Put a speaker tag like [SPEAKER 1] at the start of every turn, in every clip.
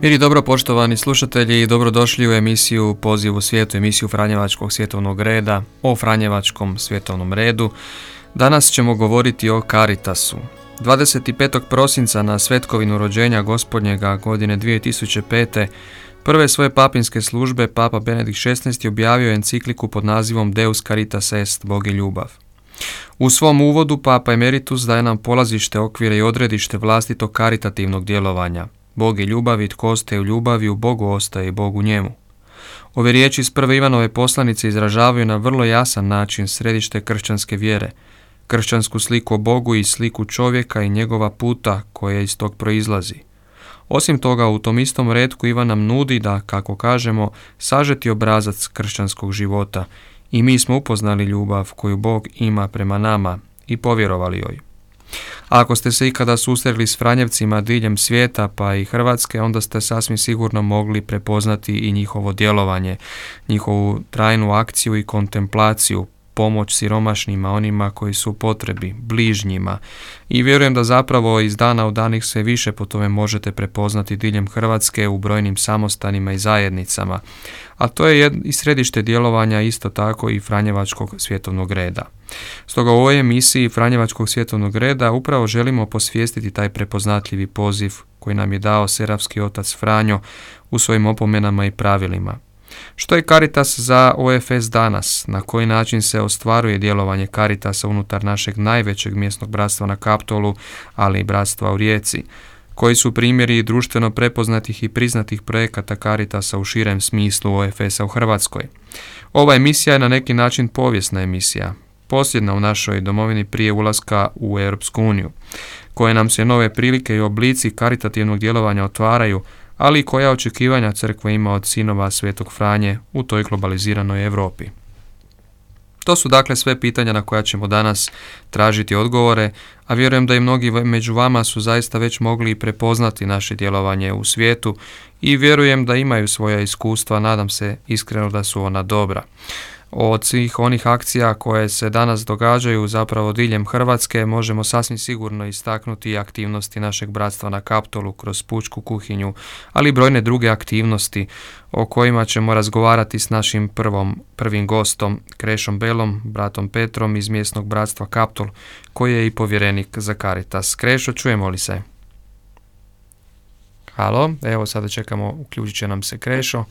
[SPEAKER 1] Mir i dobro, poštovani slušatelji, dobrodošli u emisiju Poziv u svijetu, emisiju Franjevačkog svjetovnog reda, o Franjevačkom svjetovnom redu. Danas ćemo govoriti o Caritasu. 25. prosinca na svetkovinu rođenja Gospodnjega godine 2005. prve svoje papinske službe Papa Benedikt XVI objavio je encikliku pod nazivom Deus Caritas Est, Bog je ljubav. U svom uvodu Papa Emeritus daje nam polazište, okvire i odredište vlastitog karitativnog djelovanja. Bog je ljubav i tko ostaje u ljubavi, u Bogu ostaje i Bog u njemu. Ove riječi iz prve Ivanove poslanice izražavaju na vrlo jasan način središte kršćanske vjere, kršćansku sliku o Bogu i sliku čovjeka i njegova puta koja iz tog proizlazi. Osim toga, u tom istom retku Ivan nam nudi da, kako kažemo, sažeti obrazac kršćanskog života i mi smo upoznali ljubav koju Bog ima prema nama i povjerovali joj. A ako ste se ikada susreli s Franjevcima diljem svijeta pa i Hrvatske, onda ste sasvim sigurno mogli prepoznati i njihovo djelovanje, njihovu trajnu akciju i kontemplaciju, pomoć siromašnima, onima koji su u potrebi, bližnjima. I vjerujem da zapravo iz dana u dan ih sve više po tome možete prepoznati diljem Hrvatske u brojnim samostanima i zajednicama. A to je i središte djelovanja isto tako i Franjevačkog svjetovnog reda. Stoga u ovoj emisiji Franjevačkog svjetovnog reda upravo želimo posvijestiti taj prepoznatljivi poziv koji nam je dao serafski otac Franjo u svojim opomenama i pravilima. Što je Caritas za OFS danas? Na koji način se ostvaruje djelovanje Caritasa unutar našeg najvećeg mjesnog bratstva na Kaptolu, ali i bratstva u Rijeci? Koji su primjeri društveno prepoznatih i priznatih projekata Caritasa u širem smislu OFS-a u Hrvatskoj? Ova emisija je na neki način povijesna emisija, posljedna u našoj domovini prije ulaska u Europsku uniju, koje nam se nove prilike i oblici karitativnog djelovanja otvaraju, ali i koja očekivanja crkva ima od sinova Svetog Franje u toj globaliziranoj Europi. To su dakle sve pitanja na koja ćemo danas tražiti odgovore, a vjerujem da i mnogi među vama su zaista već mogli prepoznati naše djelovanje u svijetu i vjerujem da imaju svoja iskustva, nadam se iskreno da su ona dobra. Od svih onih akcija koje se danas događaju zapravo diljem Hrvatske možemo sasvim sigurno istaknuti aktivnosti našeg bratstva na Kaptolu kroz pučku kuhinju, ali i brojne druge aktivnosti o kojima ćemo razgovarati s našim prvim gostom Krešom Belom, bratom Petrom iz mjesnog bratstva Kaptol, koji je i povjerenik za Caritas. Krešo, čujemo li se? Halo, evo sada čekamo, uključit će nam se Krešo.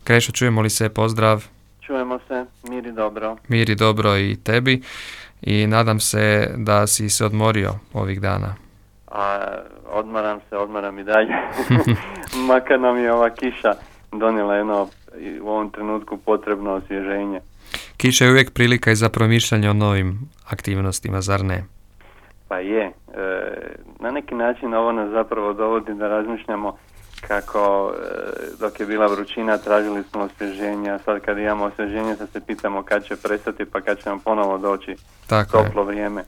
[SPEAKER 1] Krešo, čujemo li se? Pozdrav.
[SPEAKER 2] Čujemo se, mir i dobro.
[SPEAKER 1] Mir i dobro i tebi i nadam se da si se odmorio ovih dana.
[SPEAKER 2] Odmaram i dalje. Makar nam je ova kiša donijela jedno u ovom trenutku potrebno osvježenje.
[SPEAKER 1] Kiša je uvijek prilika i za promišljanje o novim aktivnostima, zar ne?
[SPEAKER 2] Pa je. Na neki način ovo nas zapravo dovodi da razmišljamo kako dok je bila vrućina tražili smo osvježenje, a sad kad imamo osvježenje sad se pitamo kad će prestati pa kad će nam ponovo doći toplo vrijeme.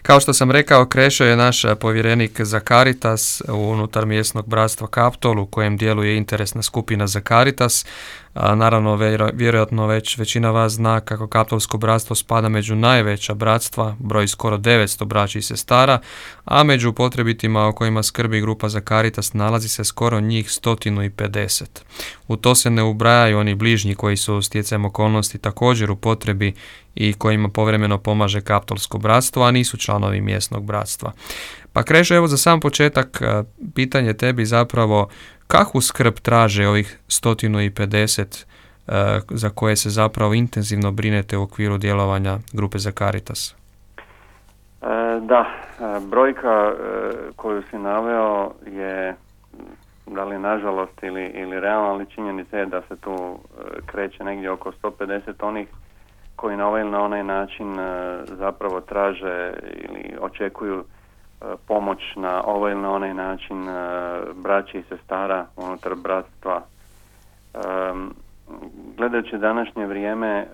[SPEAKER 1] Kao što sam rekao, Krešo je naš povjerenik za Caritas unutar mjesnog bratstva Kaptol u kojem djeluje interesna skupina za Caritas. Naravno, vjerojatno već većina vas zna kako Kaptolsko bratstvo spada među najveća bratstva, broj skoro 900 braći i sestara, a među potrebitima o kojima skrbi grupa za Caritas nalazi se skoro njih 150. U to se ne ubrajaju oni bližnji koji su stjecajem okolnosti također u potrebi i kojima povremeno pomaže Kaptolsko bratstvo, a nisu članovi mjesnog bratstva. Pa Krešo, evo za sam početak pitanje tebi zapravo, kakvu skrb traže ovih 150 za koje se zapravo intenzivno brinete u okviru djelovanja grupe za Caritas?
[SPEAKER 2] Brojka koju si naveo je, da li nažalost ili realno, ali činjenica je da se tu kreće negdje oko 150 onih koji na ovaj ili na onaj način zapravo traže ili očekuju pomoć na ovaj ili na onaj način braći i sestara unutar bratstva. Gledajući današnje vrijeme,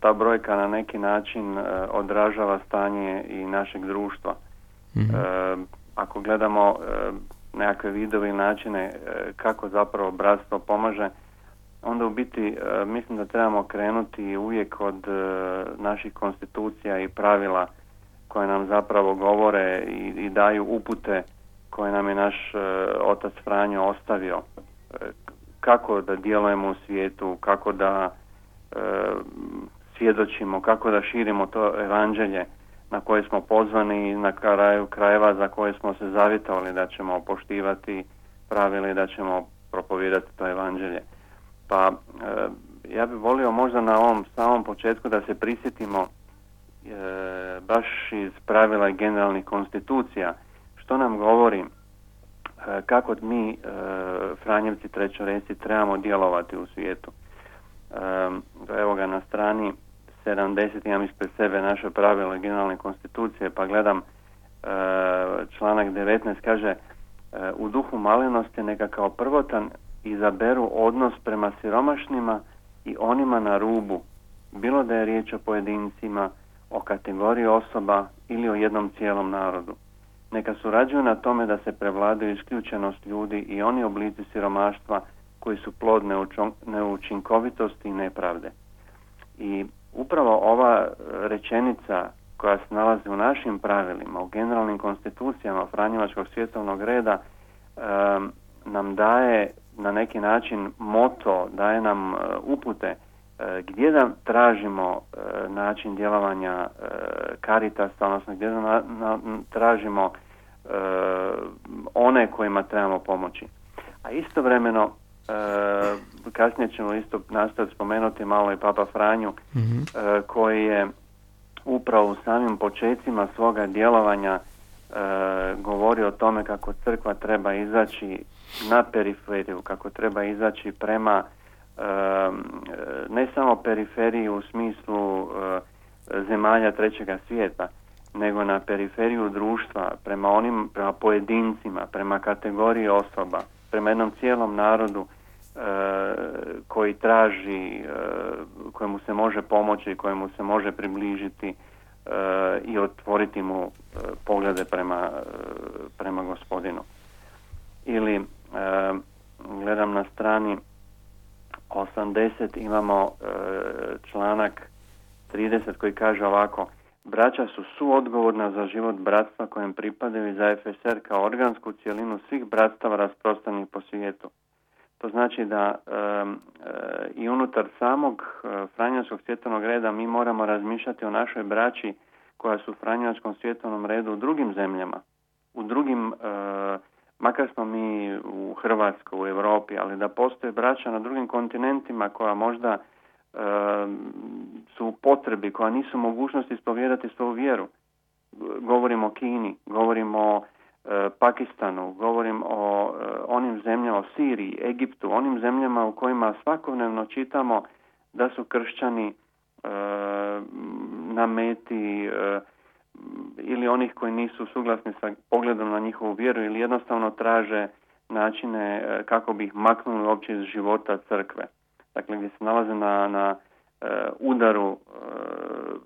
[SPEAKER 2] ta brojka na neki način odražava stanje i našeg društva. Ako gledamo nekakve vidove i načine kako zapravo bratstvo pomaže, onda u biti mislim da trebamo krenuti uvijek od naših konstitucija i pravila koje nam zapravo govore i daju upute koje nam je naš otac Franjo ostavio. kako da djelujemo u svijetu, kako da svjedočimo, kako da širimo to evanđelje na koje smo pozvani i na kraju krajeva za koje smo se zavjetovali da ćemo poštivati pravila i da ćemo propovijedati to evanđelje. Pa ja bih volio možda na ovom samom početku da se prisjetimo baš iz pravila i generalnih konstitucija što nam govori kako mi Franjevci trećoresci trebamo djelovati u svijetu. Evo ga na strani 70 imam ispred sebe naše pravilo i generalne konstitucije, pa gledam članak 19 kaže u duhu malinosti neka kao prvotan izaberu odnos prema siromašnima i onima na rubu, bilo da je riječ o pojedincima, o kategoriji osoba ili o jednom cijelom narodu. Neka surađuju na tome da se prevladaju isključenost ljudi i oni oblici siromaštva koji su plod neučinkovitosti i nepravde. I upravo ova rečenica koja se nalazi u našim pravilima, u generalnim konstitucijama Franjevačkog svjetovnog reda nam daje na neki način moto, daje nam upute gdje da tražimo način djelovanja Caritasa, odnosno gdje da tražimo one kojima trebamo pomoći. A istovremeno, kasnije ćemo isto nastaviti spomenuti malo i Papa Franju, koji je upravo u samim počecima svoga djelovanja govori o tome kako crkva treba izaći na periferiju, kako treba izaći prema ne samo periferiji u smislu zemalja trećega svijeta, nego na periferiju društva, prema pojedincima, prema kategoriji osoba, prema jednom cijelom narodu koji traži, kojemu se može pomoći, kojemu se može približiti i otvoriti mu poglede prema Gospodinu. Ili gledam na strani 80 imamo članak 30 koji kaže ovako: braća su suodgovorna za život bratstva kojem pripadaju i za FSR kao organsku cjelinu svih bratstava rasprostranjenih po svijetu. To znači da i unutar samog Franjevačkog svjetovnog reda mi moramo razmišljati o našoj braći koja su u Franjevačkom svjetovnom redu u drugim zemljama, u drugim, makar smo mi u Hrvatskoj, u Europi, ali da postoje braća na drugim kontinentima koja možda su u potrebi, koja nisu mogućnosti ispovijedati svoju vjeru. Govorimo o Kini, govorimo o Pakistanu, govorim o onim zemljama, o Siriji, Egiptu, onim zemljama u kojima svakodnevno čitamo da su kršćani na meti ili onih koji nisu suglasni sa pogledom na njihovu vjeru ili jednostavno traže načine kako bi ih maknuli uopće iz života crkve. Dakle, gdje se nalaze na udaru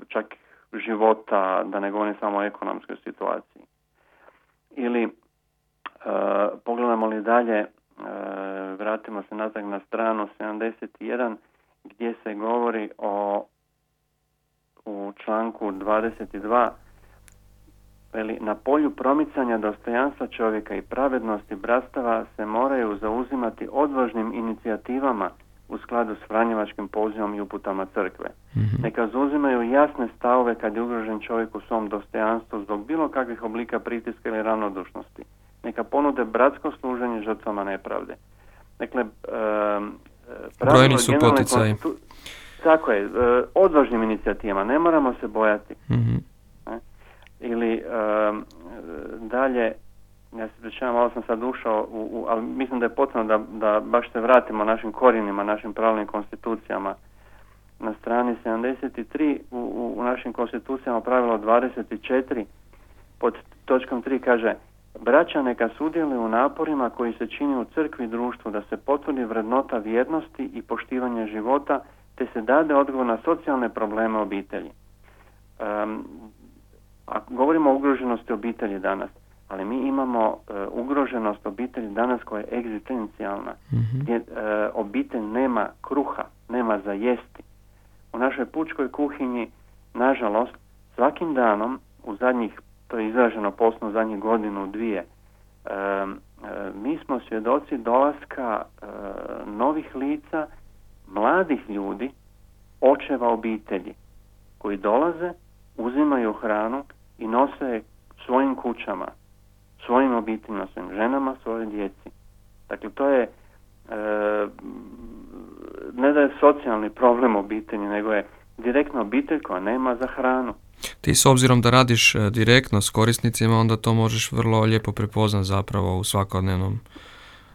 [SPEAKER 2] čak života, da ne govorim samo o ekonomskoj situaciji. Ili pogledamo li dalje, vratimo se nazad na stranu 71 gdje se govori u članku 22 na polju promicanja dostojanstva čovjeka i pravednosti bratstava se moraju zauzimati odvažnim inicijativama u skladu s Franjevačkim pozivom i uputama crkve. Neka zauzimaju jasne stavove kad je ugrožen čovjek u svom dostojanstvu zbog bilo kakvih oblika pritiska ili ravnodušnosti. Neka ponude bratsko služenje žrtvama nepravde. Dakle,
[SPEAKER 1] brojni su poticaji.
[SPEAKER 2] Tako je, odvažnim inicijativama, ne moramo se bojati. Ili dalje, ja se pričavam, malo sam sad ušao, ali mislim da je potrebno da baš se vratimo našim korijenima, našim pravnim konstitucijama. Na strani 73 u našim konstitucijama pravilo 24 pod točkom 3 kaže: braća neka sudjeluju u naporima koji se čini u crkvi i društvu da se potvrdi vrednota vjernosti i poštivanje života te se dade odgovor na socijalne probleme obitelji. Ako govorimo o ugroženosti obitelji danas, ali mi imamo ugroženost obitelji danas koja je egzistencijalna, gdje obitelj nema kruha, nema za jesti. U našoj pučkoj kuhinji, nažalost, svakim danom, to je izraženo posebno zadnjih godinu, dvije, mi smo svjedoci dolaska novih lica, mladih ljudi, očeva obitelji, koji dolaze, uzimaju hranu i nose svojim kućama, svojim obiteljima, svojim ženama, svojoj djeci. Dakle, to je ne da je socijalni problem obitelji, nego je direktna obitelj koja nema za hranu.
[SPEAKER 1] Ti s obzirom da radiš direktno s korisnicima, onda to možeš vrlo lijepo prepoznat zapravo u svakodnevnom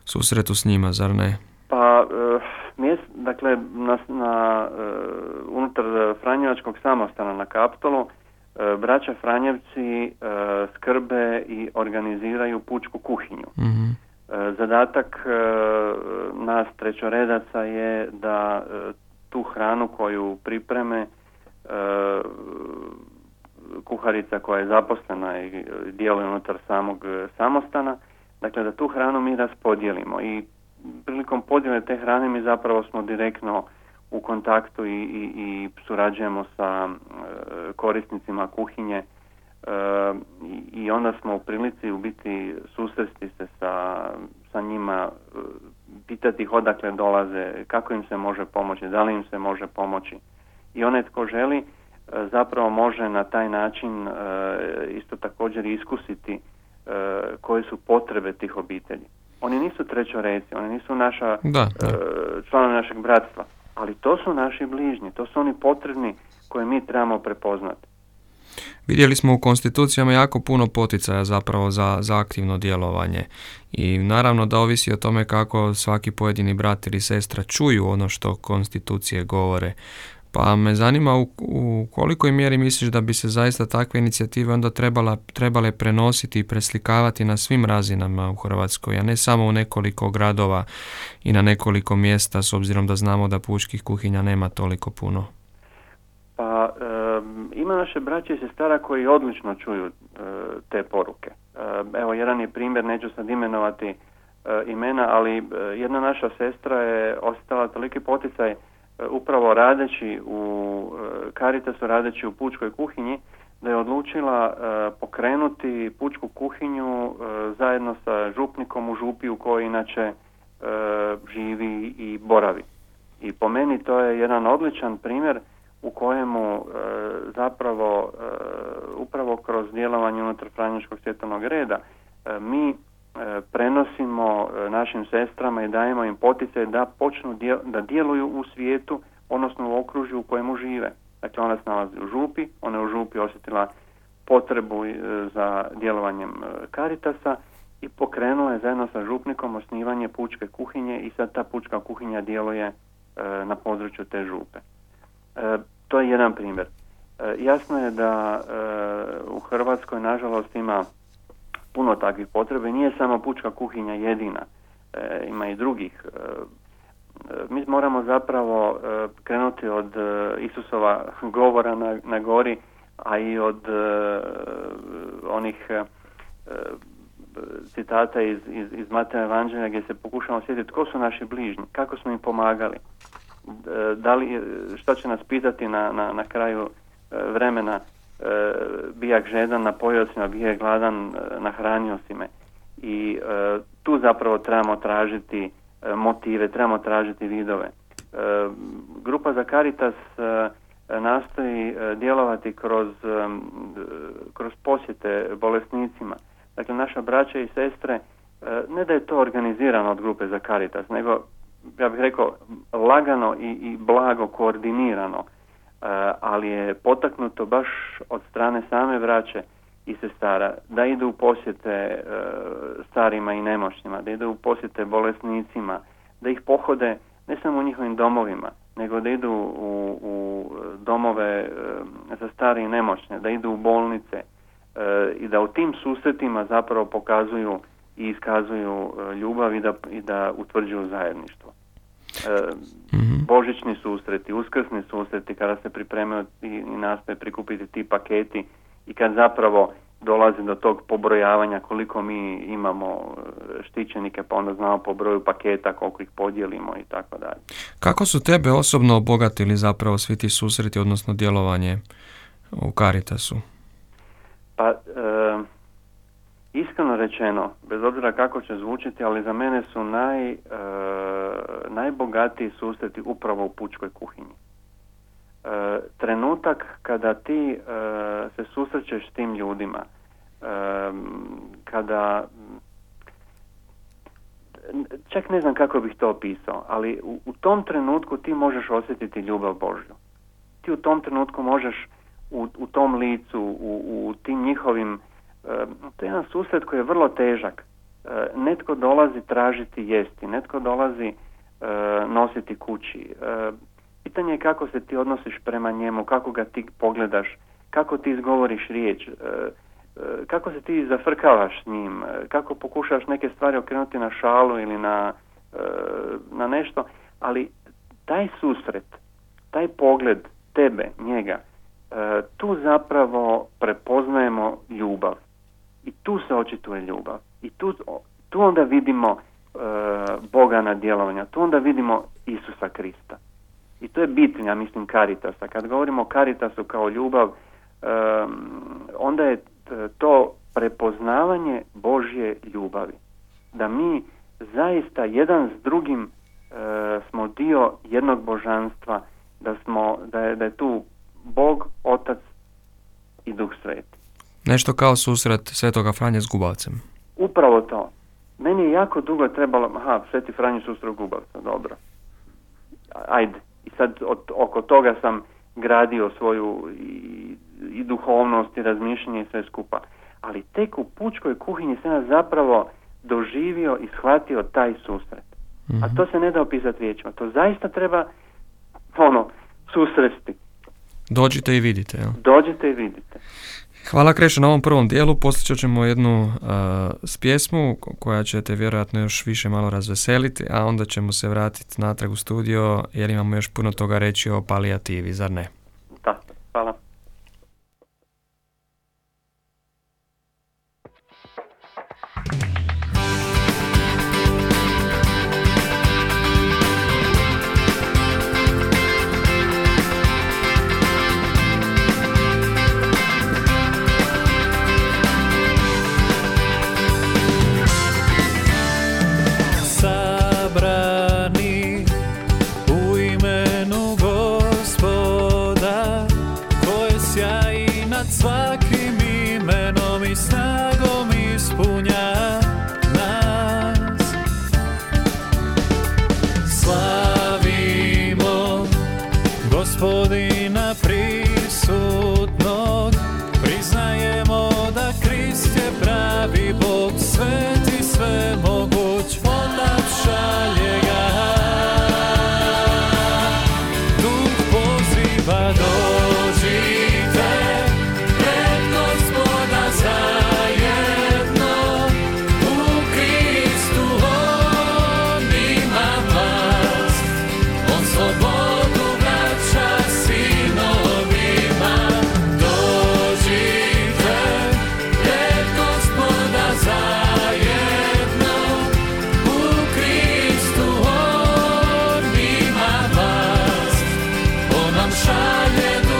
[SPEAKER 1] susretu s njima, zar ne?
[SPEAKER 2] Pa, dakle, unutar Franjevačkog samostana na Kaptolu, braća Franjevci skrbe i organiziraju pučku kuhinju.
[SPEAKER 1] Mm-hmm.
[SPEAKER 2] Zadatak nas trećoredaca je da tu hranu koju pripreme kuharica koja je zaposlena i djeluje unutar samog samostana, dakle da tu hranu mi raspodijelimo i prilikom podjele te hrane mi zapravo smo direktno u kontaktu i surađujemo sa korisnicima kuhinje i onda smo u prilici u biti susresti se sa njima, pitati ih odakle dolaze, kako im se može pomoći, da li im se može pomoći. I onaj tko želi zapravo može na taj način isto također iskusiti koje su potrebe tih obitelji. Oni nisu trećoreci, oni nisu članovi našeg bratstva, ali to su naši bližnji, to su oni potrebni koje mi trebamo prepoznati.
[SPEAKER 1] Vidjeli smo u konstitucijama jako puno poticaja zapravo za aktivno djelovanje i naravno da ovisi o tome kako svaki pojedini brat ili sestra čuju ono što konstitucije govore. Pa me zanima u kolikoj mjeri misliš da bi se zaista takve inicijative onda trebale prenositi i preslikavati na svim razinama u Hrvatskoj, a ne samo u nekoliko gradova i na nekoliko mjesta, s obzirom da znamo da pučkih kuhinja nema toliko puno?
[SPEAKER 2] Pa ima naše braće i sestara koji odlično čuju te poruke. Evo, jedan je primjer, neću sad imenovati imena, ali jedna naša sestra je ostala toliki poticaj upravo radeći u Caritasu, radeći u pučkoj kuhinji, da je odlučila pokrenuti pučku kuhinju zajedno sa župnikom u župi u kojoj inače živi i boravi. I po meni to je jedan odličan primjer u kojemu zapravo upravo kroz djelovanje unutar Franjevačkog svjetovnog reda mi prenosimo našim sestrama i dajemo im poticaj da počnu da djeluju u svijetu, odnosno u okružju u kojemu žive. Dakle, ona se nalazi u župi, ona je u župi osjetila potrebu za djelovanjem Caritasa i pokrenula je zajedno sa župnikom osnivanje pučke kuhinje i sad ta pučka kuhinja djeluje na području te župe. To je jedan primjer. Jasno je da u Hrvatskoj nažalost ima puno takvih potreba i nije samo pučka kuhinja jedina, ima i drugih. Mi moramo zapravo krenuti od Isusova govora na gori, a i od onih citata iz Mateja Evanđelja gdje se pokušamo sjetiti tko su naši bližnji, kako smo im pomagali, šta će nas pitati na kraju vremena, bijak žedan, napojio si me, bijak gladan, nahranio si me. I tu zapravo trebamo tražiti motive, trebamo tražiti vidove. Grupa za Caritas nastoji djelovati kroz posjete bolesnicima. Dakle, naša braća i sestre, ne da je to organizirano od grupe za Caritas, nego, ja bih rekao, lagano i blago koordinirano, ali je potaknuto baš od strane same braće i sestara da idu u posjete starima i nemoćnima, da idu u posjete bolesnicima, da ih pohode ne samo u njihovim domovima, nego da idu u domove za stare i nemoćne, da idu u bolnice i da u tim susretima zapravo pokazuju i iskazuju ljubav i da utvrđuju zajedništvo. Božićni susreti, uskrsni susreti kada se pripremaju i nastoje prikupiti ti paketi i kad zapravo dolazi do tog pobrojavanja koliko mi imamo štićenike, pa onda znamo po broju paketa koliko ih podijelimo i tako dalje.
[SPEAKER 1] Kako su tebe osobno obogatili zapravo svi ti susreti, odnosno djelovanje u Caritasu?
[SPEAKER 2] Pa iskreno rečeno, bez obzira kako će zvučiti, ali za mene su najbogatiji susreti upravo u pučkoj kuhinji. Trenutak kada ti se susrećeš s tim ljudima, kada, čak ne znam kako bih to opisao, ali u tom trenutku ti možeš osjetiti ljubav Božju. Ti u tom trenutku možeš u tom licu, u tim njihovim, to je jedan susret koji je vrlo težak. Netko dolazi tražiti jesti, netko dolazi nositi kući. Pitanje je kako se ti odnosiš prema njemu, kako ga ti pogledaš, kako ti izgovoriš riječ, kako se ti zafrkavaš s njim, kako pokušaš neke stvari okrenuti na šalu ili na nešto, ali taj susret, taj pogled tebe, njega, tu zapravo prepoznajemo ljubav i tu se očituje ljubav i tu onda vidimo Boga na djelovanja, tu onda vidimo Isusa Krista. I to je bit, ja mislim, Caritasa. Kad govorimo o Caritasu kao ljubav, onda je to prepoznavanje Božje ljubavi. Da mi zaista jedan s drugim smo dio jednog božanstva, da je tu Bog, Otac i Duh Sveti.
[SPEAKER 1] Nešto kao susret Svetoga Franje s Gubavcem.
[SPEAKER 2] Upravo to. Meni je jako dugo trebalo, Sveti Franjo susret Gubavca, dobro. Ajde. I sad oko toga sam gradio svoju i duhovnost i razmišljanje i sve skupa. Ali tek u pučkoj kuhinji sam ja zapravo doživio i shvatio taj susret. Mm-hmm. A to se ne da opisati riječima. To zaista treba susresti.
[SPEAKER 1] Dođite i vidite. Ja?
[SPEAKER 2] Dođite i vidite.
[SPEAKER 1] Hvala Krešo na ovom prvom dijelu. Poslije ćemo jednu s pjesmu koja će te vjerojatno još više malo razveseliti, a onda ćemo se vratiti natrag u studio jer imamo još puno toga reći o palijativi, zar ne?
[SPEAKER 2] Da, hvala.
[SPEAKER 3] Svakim imenom i snagom ispunja nas. Slavimo Gospodina prisutnog, priznajemo da Krist je pravi Bog, sveti svemoguć, Otac šalje ga. Duh poziva dođite, šalje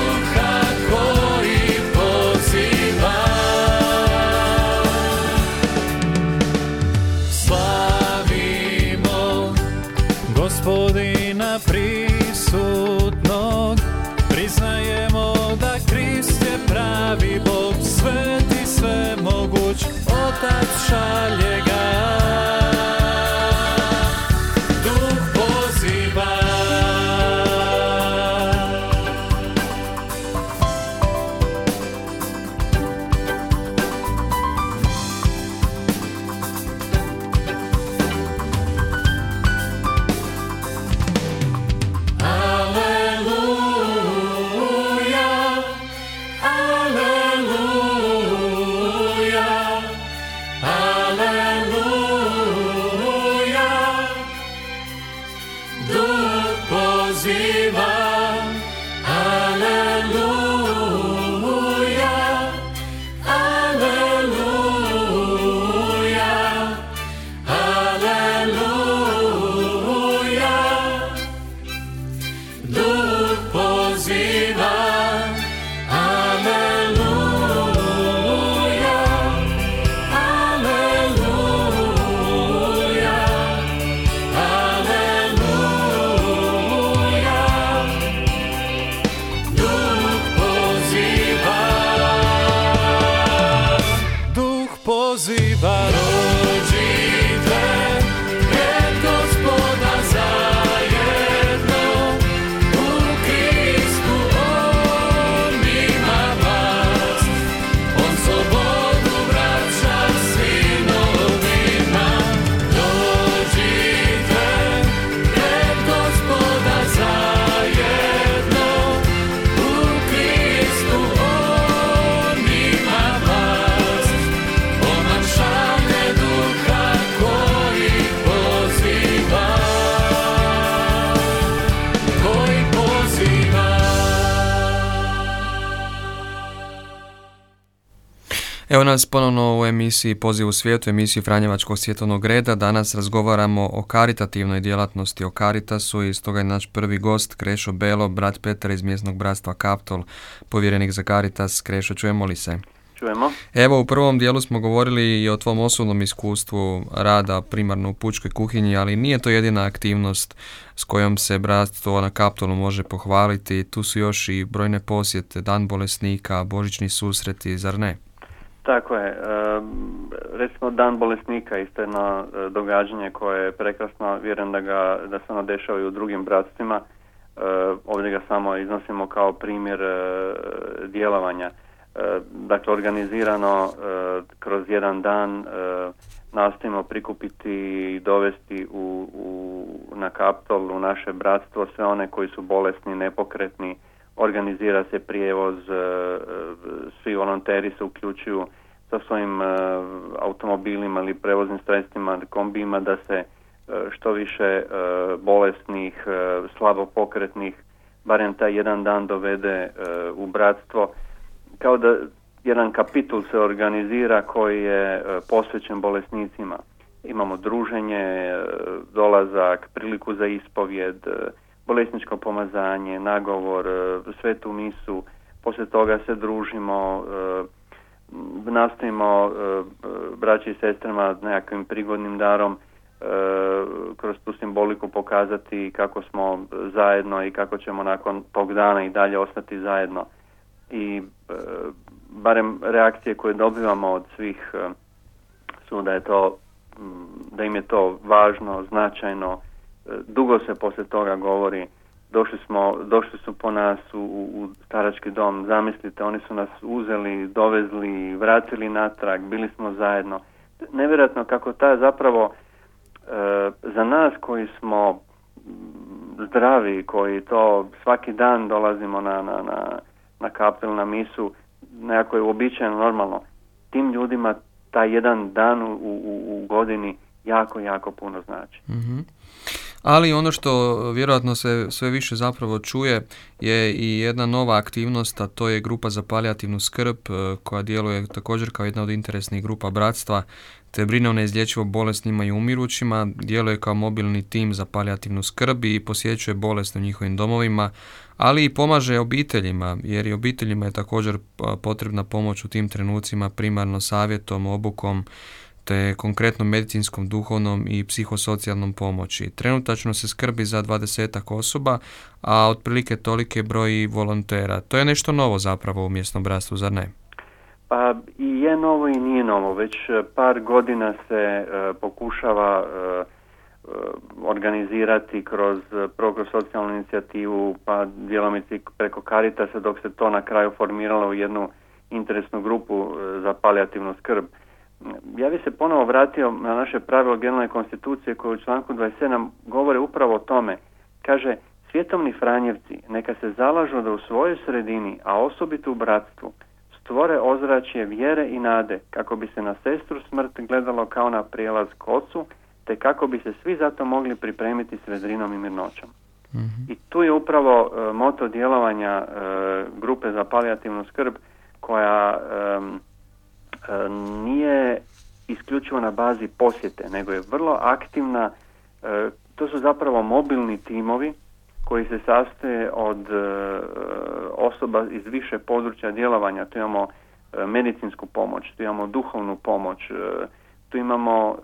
[SPEAKER 1] Evo nas ponovno u emisiji Poziv u svijetu, emisiji Franjevačkog svjetovnog reda. Danas razgovaramo o karitativnoj djelatnosti, o Caritasu, i stoga je naš prvi gost Krešo Belo, brat Petar iz mjesnog bratstva Kaptol, povjerenik za Caritas. Krešo, čujemo li se?
[SPEAKER 2] Čujemo.
[SPEAKER 1] Evo, u prvom dijelu smo govorili i o tvom osobnom iskustvu rada primarno u pučkoj kuhinji, ali nije to jedina aktivnost s kojom se bratstvo na Kaptolu može pohvaliti. Tu su još i brojne posjete, dan bolesnika, božićni susreti, zar ne?
[SPEAKER 2] Tako je. Recimo dan bolesnika isto jedno događanje koje je prekrasno. Vjerujem da se ono dešava i u drugim bratstvima. Ovdje ga samo iznosimo kao primjer djelovanja. Dakle, organizirano kroz jedan dan nastojimo prikupiti i dovesti na Kaptol, u naše bratstvo, sve one koji su bolesni, nepokretni. Organizira se prijevoz, svi volonteri se uključuju sa svojim automobilima ili prevoznim sredstvima, kombijima, da se što više bolesnih, slabo pokretnih, barem taj jedan dan dovede u bratstvo. Kao da jedan kapitul se organizira koji je posvećen bolesnicima. Imamo druženje, dolazak, priliku za ispovjed, bolesničko pomazanje, nagovor, svetu misu. Poslije toga se družimo, nastojimo braći i sestrama nekakvim prigodnim darom kroz tu simboliku pokazati kako smo zajedno i kako ćemo nakon tog dana i dalje ostati zajedno. I barem reakcije koje dobivamo od svih su da im je to važno, značajno. Dugo se poslije toga govori, došli su po nas u starački dom, zamislite, oni su nas uzeli, dovezli, vratili natrag, bili smo zajedno. Nevjerojatno kako ta zapravo za nas koji smo zdravi, koji to svaki dan dolazimo na Kaptol, na misu, nekako je uobičajeno, normalno, tim ljudima taj jedan dan u godini jako, jako puno znači.
[SPEAKER 1] Mm-hmm. Ali ono što vjerojatno se sve više zapravo čuje je i jedna nova aktivnost, a to je grupa za palijativnu skrb koja djeluje također kao jedna od interesnih grupa bratstva, te brine o neizlječivo bolesnima i umirućima, djeluje kao mobilni tim za palijativnu skrb i posjećuje bolesne u njihovim domovima, ali i pomaže obiteljima, jer i obiteljima je također potrebna pomoć u tim trenucima, primarno savjetom, obukom, te konkretno medicinskom, duhovnom i psihosocijalnom pomoći. Trenutačno se skrbi za 20 osoba, a otprilike toliki broj volontera. To je nešto novo zapravo u mjesnom bratstvu, zar ne?
[SPEAKER 2] Pa i je novo i nije novo. Već par godina se pokušava organizirati kroz socijalnu inicijativu, pa djelomice preko Caritasa, dok se to na kraju formiralo u jednu interesnu grupu za palijativnu skrb. Ja bih se ponovo vratio na naše pravilo generalne konstitucije koje u članku 27 govore upravo o tome. Kaže, svjetovni Franjevci neka se zalažu da u svojoj sredini, a osobito u bratstvu, stvore ozračje vjere i nade kako bi se na sestru smrt gledalo kao na prijelaz k ocu, te kako bi se svi zato mogli pripremiti s vedrinom i mirnoćom. Mm-hmm. I tu je upravo moto djelovanja grupe za palijativnu skrb, koja nije isključivo na bazi posjete, nego je vrlo aktivna. To su zapravo mobilni timovi koji se sastoje od osoba iz više područja djelovanja. Tu imamo medicinsku pomoć, tu imamo duhovnu pomoć, tu imamo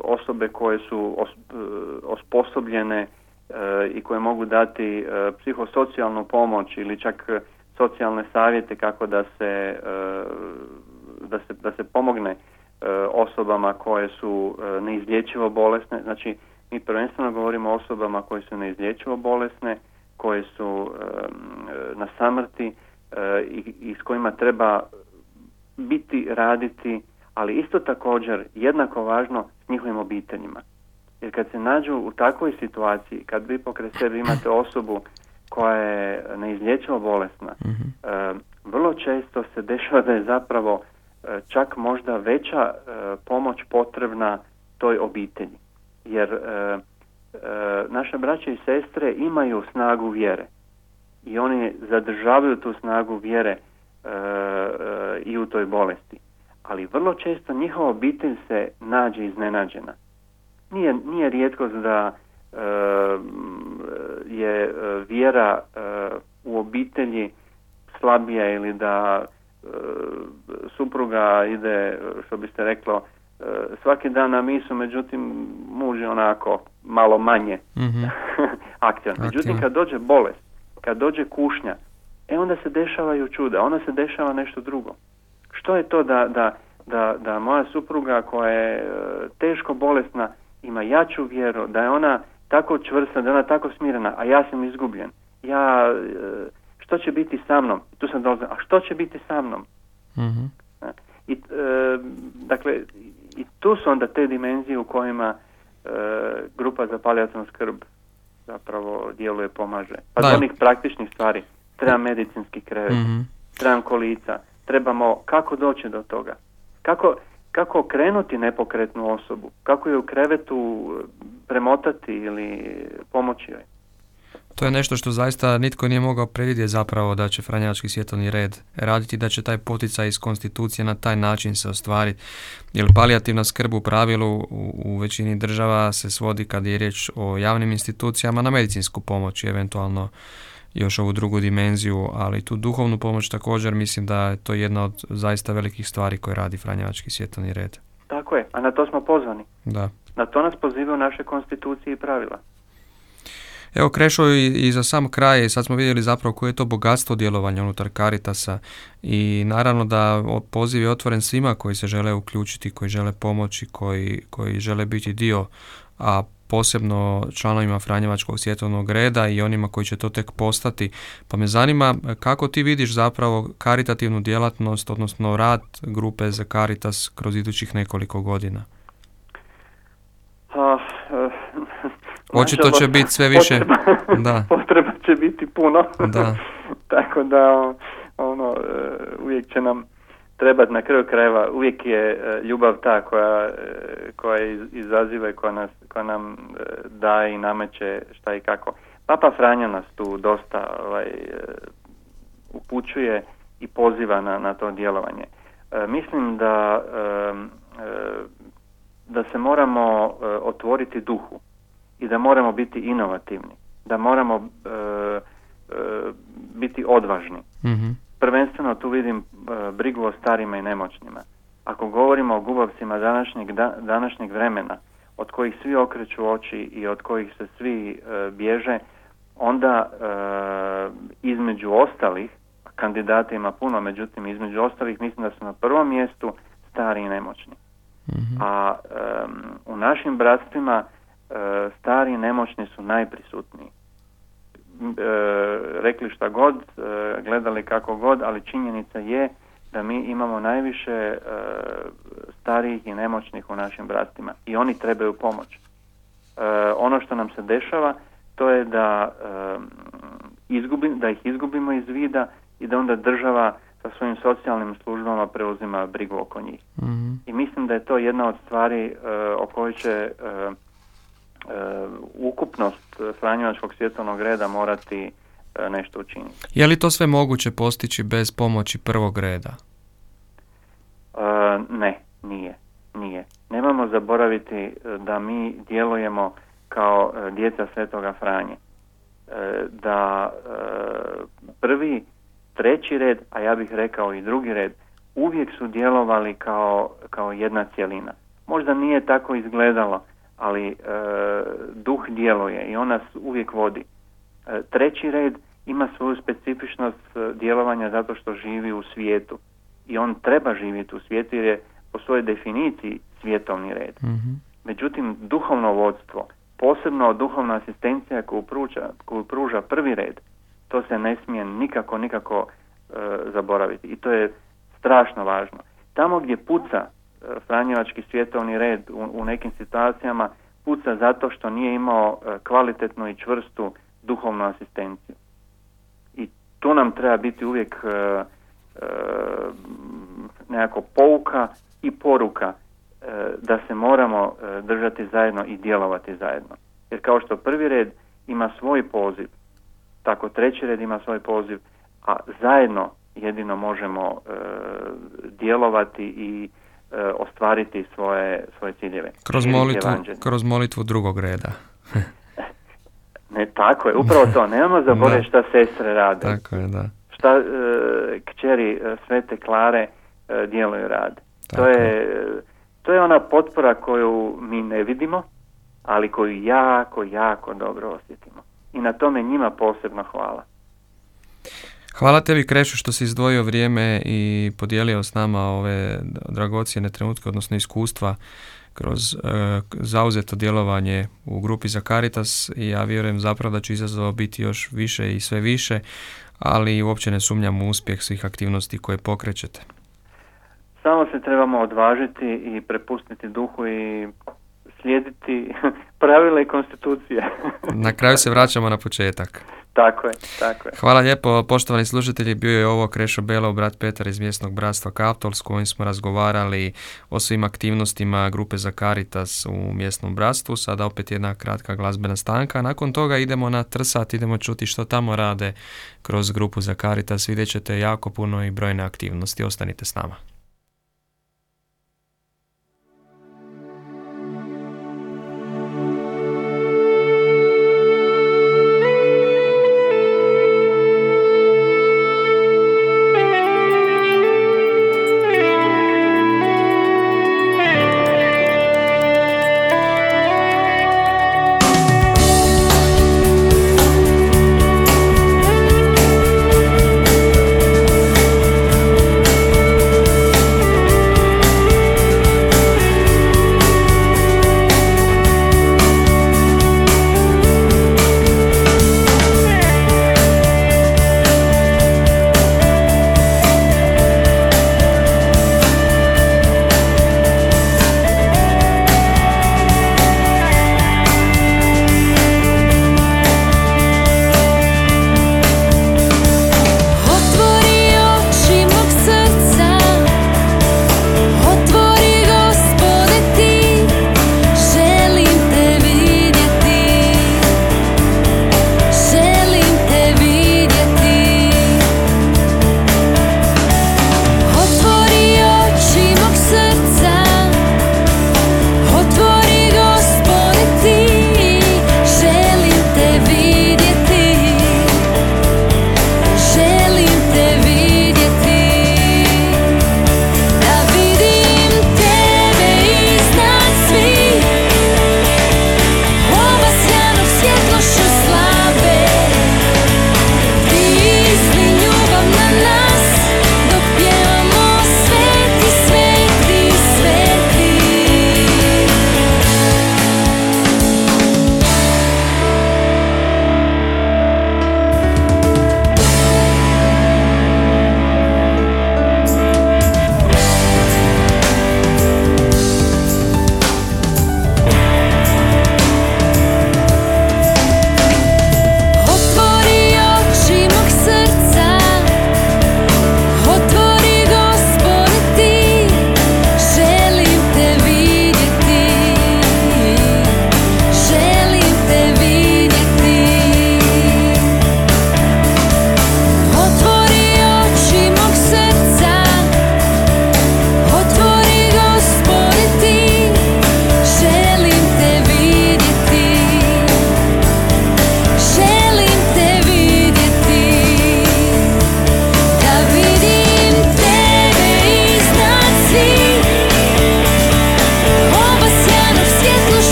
[SPEAKER 2] osobe koje su osposobljene i koje mogu dati psihosocijalnu pomoć ili čak socijalne savjete kako da se pomogne osobama koje su neizlječivo bolesne. Znači, mi prvenstveno govorimo o osobama koje su neizlječivo bolesne, koje su na samrti i s kojima treba biti, raditi, ali isto također jednako važno s njihovim obiteljima. Jer kad se nađu u takvoj situaciji, kad vi pokraj sebe imate osobu koja je neizlječivo bolesna, vrlo često se dešava da je zapravo čak možda veća pomoć potrebna toj obitelji. Jer naše braće i sestre imaju snagu vjere i oni zadržavaju tu snagu vjere i u toj bolesti. Ali vrlo često njihova obitelj se nađe iznenađena. Nije rijetkost da je vjera u obitelji slabija ili da supruga ide, što biste reklo, svaki dan na misu, međutim muž je onako malo manje aktivan. Međutim, kad dođe bolest, kad dođe kušnja, onda se dešavaju čuda, onda se dešava nešto drugo. Što je to da moja supruga koja je teško bolesna ima jaču vjeru, da je ona tako čvrsta, da je ona tako smirena, a ja sam izgubljen. Što će biti sa mnom? Tu sam dolazio, a što će biti sa mnom?
[SPEAKER 1] Mm-hmm.
[SPEAKER 2] Dakle, i tu su onda te dimenzije u kojima grupa za palijativnu skrb zapravo djeluje, pomaže. Pa do onih praktičnih stvari. Treba medicinski krevet, trebam kolica, trebamo kako doći do toga. Kako okrenuti nepokretnu osobu, kako je u krevetu premotati ili pomoći joj.
[SPEAKER 1] To je nešto što zaista nitko nije mogao predvidjeti zapravo da će Franjevački svjetovni red raditi, da će taj poticaj iz konstitucije na taj način se ostvariti. Jer palijativna skrb u pravilu u većini država se svodi, kad je riječ o javnim institucijama, na medicinsku pomoć i eventualno još ovu drugu dimenziju, ali tu duhovnu pomoć također mislim da je to jedna od zaista velikih stvari koje radi Franjevački svjetovni red.
[SPEAKER 2] Tako je, a na to smo pozvani.
[SPEAKER 1] Da.
[SPEAKER 2] Na to nas pozivaju naše konstitucije i pravila.
[SPEAKER 1] Evo Krešo, i za sam kraj, sad smo vidjeli zapravo koje je to bogatstvo djelovanja unutar Caritasa i naravno da poziv je otvoren svima koji se žele uključiti, koji žele pomoći, koji žele biti dio, a posebno članovima Franjevačkog svjetovnog reda i onima koji će to tek postati. Pa me zanima kako ti vidiš zapravo karitativnu djelatnost, odnosno rad grupe za Caritas kroz idućih nekoliko godina? Očito će biti sve više.
[SPEAKER 2] Potreba će biti puno.
[SPEAKER 1] Da.
[SPEAKER 2] Tako da uvijek će nam trebati, na kraju krajeva, uvijek je ljubav ta koja izaziva i koja nam daje i nameće šta i kako. Papa Franjo nas tu dosta upućuje i poziva na to djelovanje. Mislim da se moramo otvoriti duhu i da moramo biti inovativni, da moramo biti odvažni.
[SPEAKER 1] Mm-hmm.
[SPEAKER 2] Prvenstveno tu vidim brigu o starima i nemoćnima. Ako govorimo o gubavcima današnjeg vremena, od kojih svi okreću oči i od kojih se svi bježe, onda između ostalih, kandidata ima puno, međutim između ostalih mislim da su na prvom mjestu stari i nemoćni.
[SPEAKER 1] Mm-hmm.
[SPEAKER 2] A u našim bratstvima stari i nemoćni su najprisutniji. Rekli šta god, gledali kako god, ali činjenica je da mi imamo najviše starijih i nemoćnih u našim bratstvima i oni trebaju pomoć. Ono što nam se dešava, to je da ih izgubimo iz vida i da onda država sa svojim socijalnim službama preuzima brigu oko njih.
[SPEAKER 1] Mm-hmm.
[SPEAKER 2] I mislim da je to jedna od stvari o kojoj će ukupnost Franjevačkog svjetovnog reda morati nešto učiniti.
[SPEAKER 1] Je li to sve moguće postići bez pomoći prvog reda?
[SPEAKER 2] Ne, nije. Nemojmo zaboraviti da mi djelujemo kao djeca Svetoga Franje. Da prvi, treći red, a ja bih rekao i drugi red, uvijek su djelovali kao jedna cjelina. Možda nije tako izgledalo, ali duh djeluje i on nas uvijek vodi. Treći red ima svoju specifičnost djelovanja zato što živi u svijetu i on treba živjeti u svijetu jer je po svojoj definiciji svjetovni red.
[SPEAKER 1] Mm-hmm.
[SPEAKER 2] Međutim, duhovno vodstvo, posebno duhovna asistencija koju pruža prvi red, to se ne smije nikako zaboraviti i to je strašno važno. Tamo gdje puca Franjevački svjetovni red u nekim situacijama, puca zato što nije imao kvalitetnu i čvrstu duhovnu asistenciju. I tu nam treba biti uvijek nekako pouka i poruka da se moramo držati zajedno i djelovati zajedno. Jer kao što prvi red ima svoj poziv, tako treći red ima svoj poziv, a zajedno jedino možemo djelovati i ostvariti svoje ciljeve.
[SPEAKER 1] Kroz molitvu drugog reda.
[SPEAKER 2] Ne, tako je, upravo to. Nemamo zaboraviti šta sestre rade.
[SPEAKER 1] Tako je, da.
[SPEAKER 2] Šta kćeri Svete Klare djeluju rade. To je ona potpora koju mi ne vidimo, ali koju jako dobro osjetimo. I na tome njima posebno hvala.
[SPEAKER 1] Hvala tebi, Krešo, što si izdvojio vrijeme i podijelio s nama ove dragocjene trenutke, odnosno iskustva kroz zauzeto djelovanje u grupi za Caritas, i ja vjerujem zapravo da će izazova biti još više i sve više, ali uopće ne sumnjam u uspjeh svih aktivnosti koje pokrećete.
[SPEAKER 2] Samo se trebamo odvažiti i prepustiti duhu i slijediti pravila i konstitucije.
[SPEAKER 1] Na kraju se vraćamo na početak.
[SPEAKER 2] Tako je.
[SPEAKER 1] Hvala lijepo, poštovani slušatelji, bio je ovo Krešo Belov, brat Petar iz mjesnog bratstva Kaptol, s kojim smo razgovarali o svim aktivnostima grupe za Caritas u mjesnom bratstvu. Sada opet jedna kratka glazbena stanka, nakon toga idemo na Trsat, idemo čuti što tamo rade kroz grupu za Caritas. Vidjet ćete jako puno i brojne aktivnosti, ostanite s nama.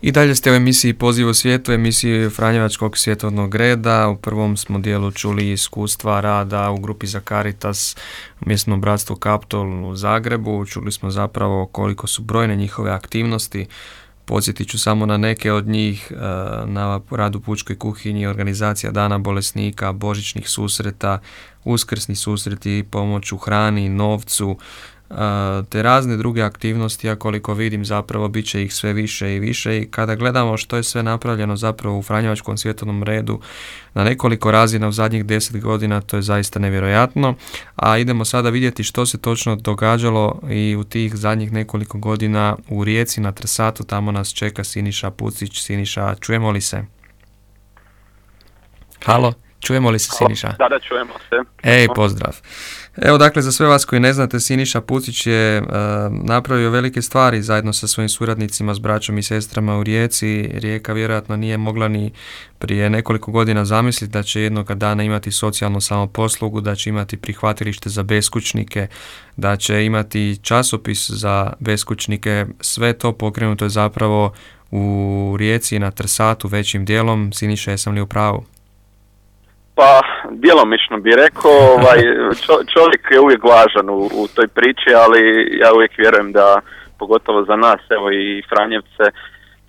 [SPEAKER 1] I dalje ste u emisiji Poziv u svijetu, emisiji Franjevačkog svjetovnog reda. U prvom smo dijelu čuli iskustva rada u grupi za Caritas u mjesnom bratstvu Kaptol u Zagrebu. Čuli smo zapravo koliko su brojne njihove aktivnosti. Podsjetit ću samo na neke od njih, na rad u pučkoj kuhinji, organizacija Dana bolesnika, božićnih susreta, uskrsni susreti, pomoć u hrani, novcu, te razne druge aktivnosti, a koliko vidim zapravo bit će ih sve više i više, i kada gledamo što je sve napravljeno zapravo u Franjevačkom svjetovnom redu na nekoliko razina u zadnjih 10 godina, to je zaista nevjerojatno. A idemo sada vidjeti što se točno događalo i u tih zadnjih nekoliko godina u Rijeci na Trsatu. Tamo nas čeka Siniša Pucić. Siniša, čujemo li se? Halo? Čujemo li se, Siniša?
[SPEAKER 4] Da, čujemo se.
[SPEAKER 1] Ej, pozdrav. Evo, dakle, za sve vas koji ne znate, Siniša Pucić je napravio velike stvari zajedno sa svojim suradnicima, s braćom i sestrama u Rijeci. Rijeka vjerojatno nije mogla ni prije nekoliko godina zamisliti da će jednoga dana imati socijalnu samoposlugu, da će imati prihvatilište za beskućnike, da će imati časopis za beskućnike. Sve to pokrenuto je zapravo u Rijeci na Trsatu većim dijelom. Siniša, jesam li u pravu?
[SPEAKER 4] Pa, djelomično bih rekao, čovjek je uvijek važan u toj priči, ali ja uvijek vjerujem da, pogotovo za nas, evo i Franjevce,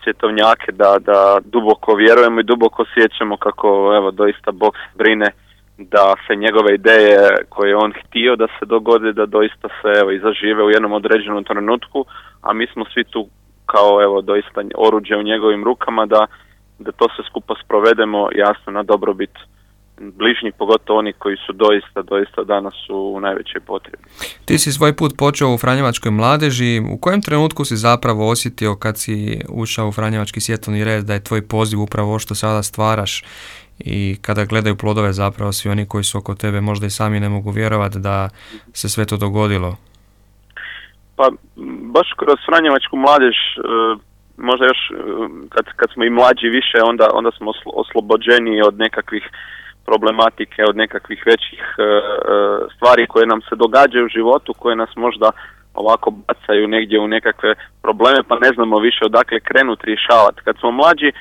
[SPEAKER 4] svjetovnjake, da duboko vjerujemo i duboko osjećamo kako, evo, doista Bog brine da se njegove ideje koje je on htio da se dogode, da doista se, evo, i zažive u jednom određenom trenutku, a mi smo svi tu kao, evo, doista oruđe u njegovim rukama da to se skupa sprovedemo, jasno, na dobrobit bližnji, pogotovo oni koji su doista danas u najvećoj potrebi.
[SPEAKER 1] Ti si svoj put počeo u Franjevačkoj mladeži. U kojem trenutku si zapravo osjetio kad si ušao u Franjevački svjetovni red da je tvoj poziv upravo ovo što sada stvaraš, i kada gledaju plodove zapravo svi oni koji su oko tebe možda i sami ne mogu vjerovati da se sve to dogodilo?
[SPEAKER 4] Pa baš kroz Franjevačku mladež, možda još kad smo i mlađi više, onda smo oslobođeni od nekakvih problematike, od nekakvih većih stvari koje nam se događaju u životu, koje nas možda ovako bacaju negdje u nekakve probleme, pa ne znamo više odakle krenuti rješavati. Kad smo mlađi,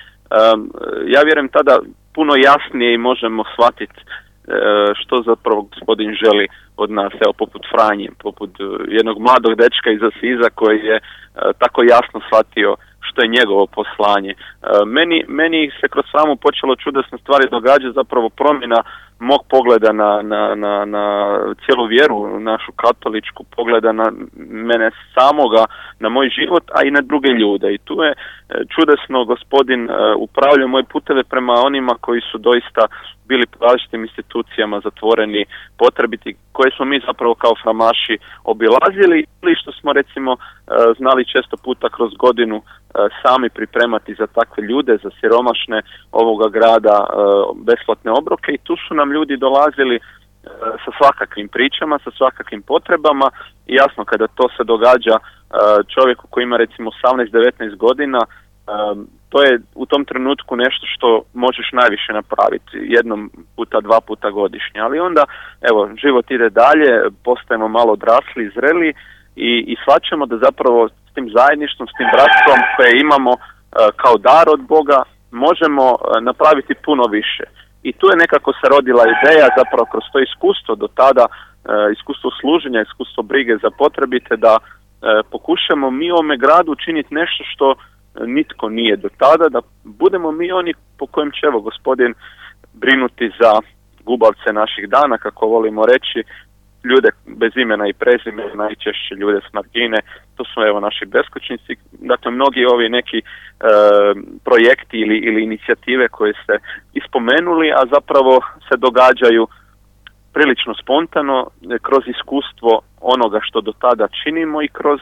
[SPEAKER 4] ja vjerujem tada puno jasnije i možemo shvatiti što zapravo Gospodin želi od nas, evo, poput Franje, poput jednog mladog dečka iz Asiza koji je tako jasno shvatio što je njegovo poslanje. Meni se kroz samu počelo čudesne stvari događati, zapravo promjena mog pogleda na cijelu vjeru, našu katoličku, pogleda na mene samoga, na moj život, a i na druge ljude. I tu je čudesno Gospodin upravljao moje puteve prema onima koji su doista bili po različitim institucijama zatvoreni, potrebiti, koje smo mi zapravo kao framaši obilazili, ili što smo recimo znali često puta kroz godinu sami pripremati za takve ljude, za siromašne ovoga grada, besplatne obroke, i tu su nam ljudi dolazili sa svakakvim pričama, sa svakakvim potrebama, i jasno kada to se događa čovjeku koji ima recimo 18-19 godina, to je u tom trenutku nešto što možeš najviše napraviti, jednom puta, 2 puta godišnje, ali onda, evo, život ide dalje, postajemo malo odrasli, zreli i shvaćamo da zapravo s tim zajedništvom, s tim bratstvom koje imamo kao dar od Boga, možemo napraviti puno više. I tu je nekako se rodila ideja, zapravo kroz to iskustvo do tada, iskustvo služenja, iskustvo brige za potrebite, da pokušamo mi u ovome gradu učiniti nešto što nitko nije do tada, da budemo mi oni po kojem će, evo, Gospodin brinuti za gubavce naših dana, kako volimo reći, ljude bez imena i prezimena, najčešće ljude s margine, to su, evo, naši beskućnici. Dakle, mnogi ovi neki projekti ili inicijative koje ste ispomenuli, a zapravo se događaju prilično spontano, kroz iskustvo onoga što do tada činimo i kroz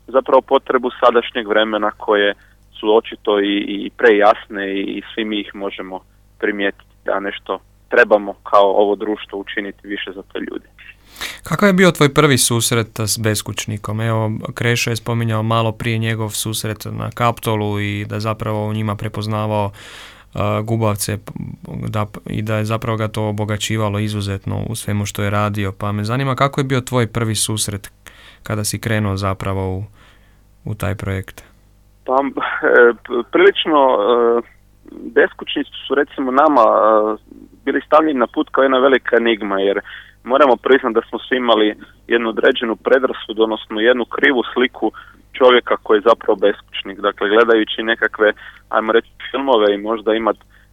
[SPEAKER 4] zapravo potrebu sadašnjeg vremena koje su očito i prejasne i svi mi ih možemo primijetiti da nešto trebamo kao ovo društvo učiniti više za te ljude.
[SPEAKER 1] Kakav je bio tvoj prvi susret s beskućnikom? Evo, Krešo je spominjao malo prije njegov susret na Kaptolu i da zapravo u njima prepoznavao gubavce i da je zapravo ga to obogaćivalo izuzetno u svemu što je radio. Pa me zanima kako je bio tvoj prvi susret kada si krenuo zapravo u taj projekt?
[SPEAKER 4] Pa prilično beskućnici su recimo nama bili stavljeni na put kao jedna velika enigma, jer moramo priznati da smo svi imali jednu određenu predrasudu, odnosno jednu krivu sliku čovjeka koji je zapravo beskućnik. Dakle, gledajući nekakve, ajmo reći, filmove i možda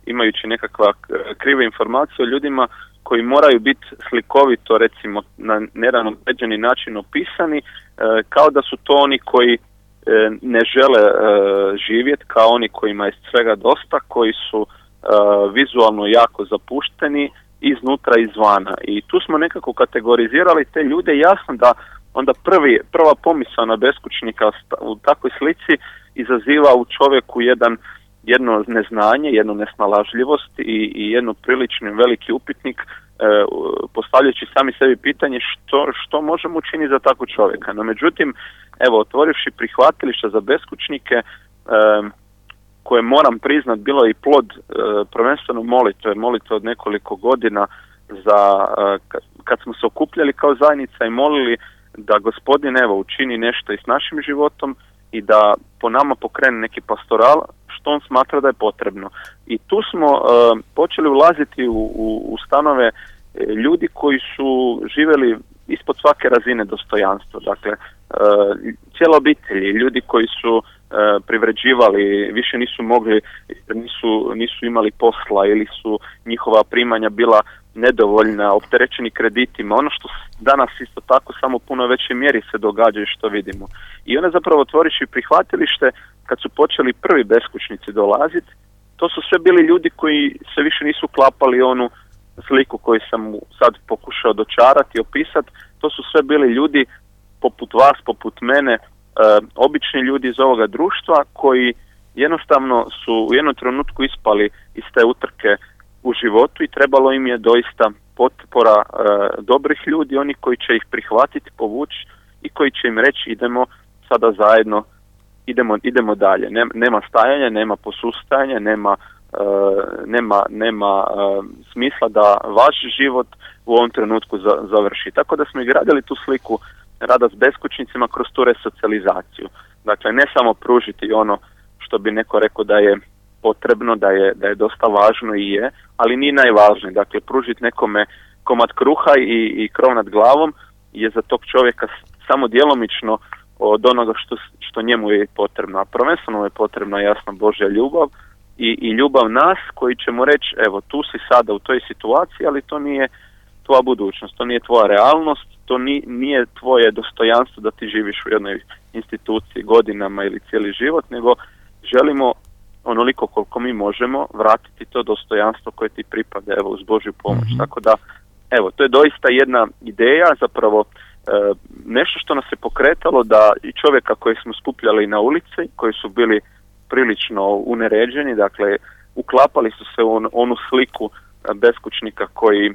[SPEAKER 4] imajući nekakva krive informacije o ljudima koji moraju biti slikovito, recimo, na jedan određeni način opisani, kao da su to oni koji ne žele živjeti, kao oni kojima je svega dosta, koji su vizualno jako zapušteni iznutra i izvana. I tu smo nekako kategorizirali te ljude. Jasno da onda prva pomisao na beskućnika u takvoj slici izaziva u čovjeku jedno neznanje, jednu nesnalažljivost i jedno prilično veliki upitnik, postavljajući sami sebi pitanje što možemo učiniti za takvog čovjeka. No međutim, evo, otvorivši prihvatilišta za beskućnike, koje moram priznat bilo je i plod prvenstveno molitve od nekoliko godina kad smo se okupljali kao zajednica i molili da Gospodin učini nešto i s našim životom i da po nama pokrene neki pastoral što on smatra da je potrebno. I tu smo počeli ulaziti u stanove ljudi koji su živjeli ispod svake razine dostojanstva. Dakle, cijela obitelji, ljudi koji su privređivali, više nisu mogli, nisu imali posla ili su njihova primanja bila nedovoljna, opterećeni kreditima, ono što danas isto tako samo u puno većoj mjeri se događa i što vidimo. I onda zapravo otvoriši prihvatilište, kad su počeli prvi beskućnici dolaziti, to su sve bili ljudi koji se više nisu klapali onu sliku koju sam sad pokušao dočarati i opisati. To su sve bili ljudi poput vas, poput mene, obični ljudi iz ovoga društva koji jednostavno su u jednom trenutku ispali iz te utrke u životu i trebalo im je doista potpora dobrih ljudi, oni koji će ih prihvatiti, povući i koji će im reći idemo sada zajedno, idemo dalje. Nema stajanja, nema posustajanja, nema smisla da vaš život u ovom trenutku završi. Tako da smo i gradili tu sliku rada s beskućnicima kroz tu resocijalizaciju. Dakle, ne samo pružiti ono što bi neko rekao da je potrebno, da je dosta važno i je, ali nije najvažnije. Dakle, pružiti nekome komad kruha i krov nad glavom je za tog čovjeka samo djelomično od onoga što njemu je potrebno. A prvenstveno je potrebna jasna Božja ljubav i ljubav nas koji ćemo reći, evo, tu si sada u toj situaciji, ali to nije tvoja budućnost, to nije tvoja realnost, to nije tvoje dostojanstvo da ti živiš u jednoj instituciji godinama ili cijeli život, nego želimo onoliko koliko mi možemo vratiti to dostojanstvo koje ti pripada, evo, uz Božju pomoć. Tako da, evo, to je doista jedna ideja, zapravo nešto što nas je pokretalo da i čovjeka koji smo skupljali na ulici, koji su bili prilično uneređeni, dakle, uklapali su se u onu sliku beskućnika koji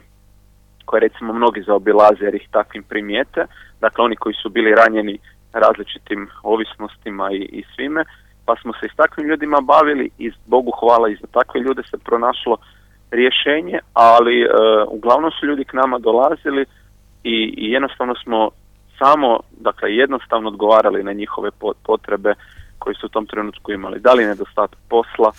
[SPEAKER 4] recimo mnogi zaobilaze jer ih takvim primijete, dakle oni koji su bili ranjeni različitim ovisnostima i svime, pa smo se i s takvim ljudima bavili i Bogu hvala i za takve ljude se pronašlo rješenje, ali uglavnom su ljudi k nama dolazili i jednostavno smo samo, dakle, jednostavno odgovarali na njihove potrebe koji su u tom trenutku imali. Da li nedostatak posla,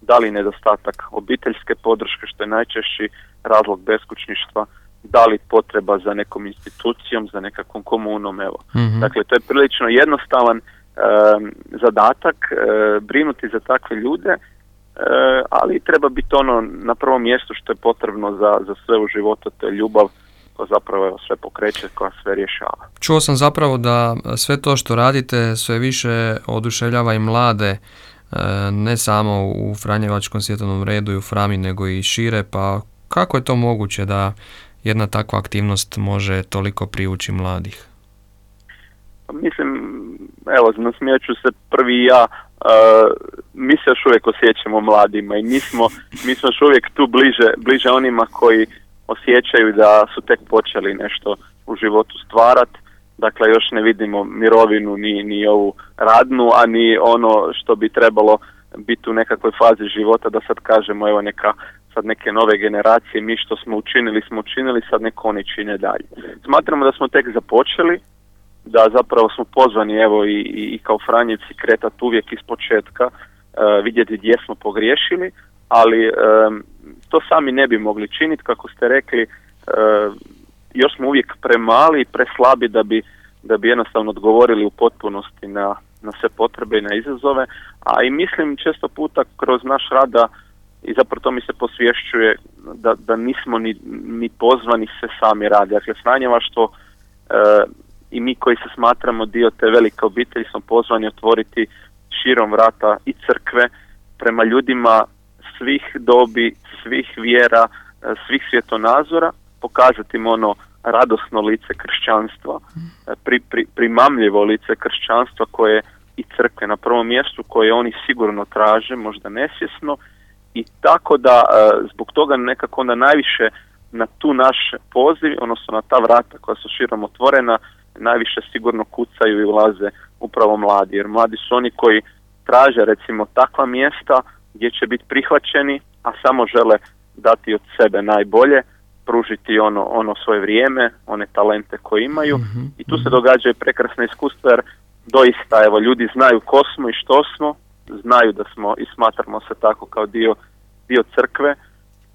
[SPEAKER 4] da li nedostatak obiteljske podrške, što je najčešći razlog beskućništva, da li potreba za nekom institucijom, za nekakvom komunom, evo. Dakle, to je prilično jednostavan zadatak, brinuti za takve ljude, ali treba biti ono na prvom mjestu što je potrebno za sve u životu, to je ljubav koja zapravo sve pokreće, koja sve rješava.
[SPEAKER 1] Čuo sam zapravo da sve to što radite sve više oduševljava i mlade, ne samo u Franjevačkom svjetovnom redu i u Frami, nego i šire, pa kako je to moguće da jedna takva aktivnost može toliko privući mladih?
[SPEAKER 4] Mislim, evo, nasmijat ću se prvi ja, mi se još uvijek osjećamo mladima i mi smo još uvijek tu bliže onima koji osjećaju da su tek počeli nešto u životu stvarati. Dakle, još ne vidimo mirovinu ni ovu radnu, a ni ono što bi trebalo biti u nekakvoj fazi života da sad kažemo, evo, sad neke nove generacije, mi što smo učinili, sad neko oni čine dalje. Smatramo da smo tek započeli da zapravo smo pozvani evo i kao Franjevci kretati uvijek iz početka, vidjeti gdje smo pogriješili, ali to sami ne bi mogli činiti, kako ste rekli, još smo uvijek premali i preslabi da bi jednostavno odgovorili u potpunosti na sve potrebe i na izazove, a i mislim često puta kroz naš rad i zapravo to mi se posvješćuje da nismo ni pozvani se sami radi. Dakle, Franjevaštvo i mi koji se smatramo dio te velike obitelji smo pozvani otvoriti širom vrata i crkve prema ljudima svih dobi, svih vjera, svih svjetonazora, pokazati im ono radosno lice kršćanstva, primamljivo lice kršćanstva koje i crkve na prvom mjestu, koje oni sigurno traže, možda nesvjesno, i tako da zbog toga nekako onda najviše na tu naš poziv, odnosno na ta vrata koja su širom otvorena, najviše sigurno kucaju i ulaze upravo mladi, jer mladi su oni koji traže recimo takva mjesta gdje će biti prihvaćeni, a samo žele dati od sebe najbolje, pružiti ono svoje vrijeme, one talente koje imaju, i tu se događaju prekrasne iskustva, jer doista evo ljudi znaju ko smo i što smo, znaju da smo i smatramo se tako kao dio crkve,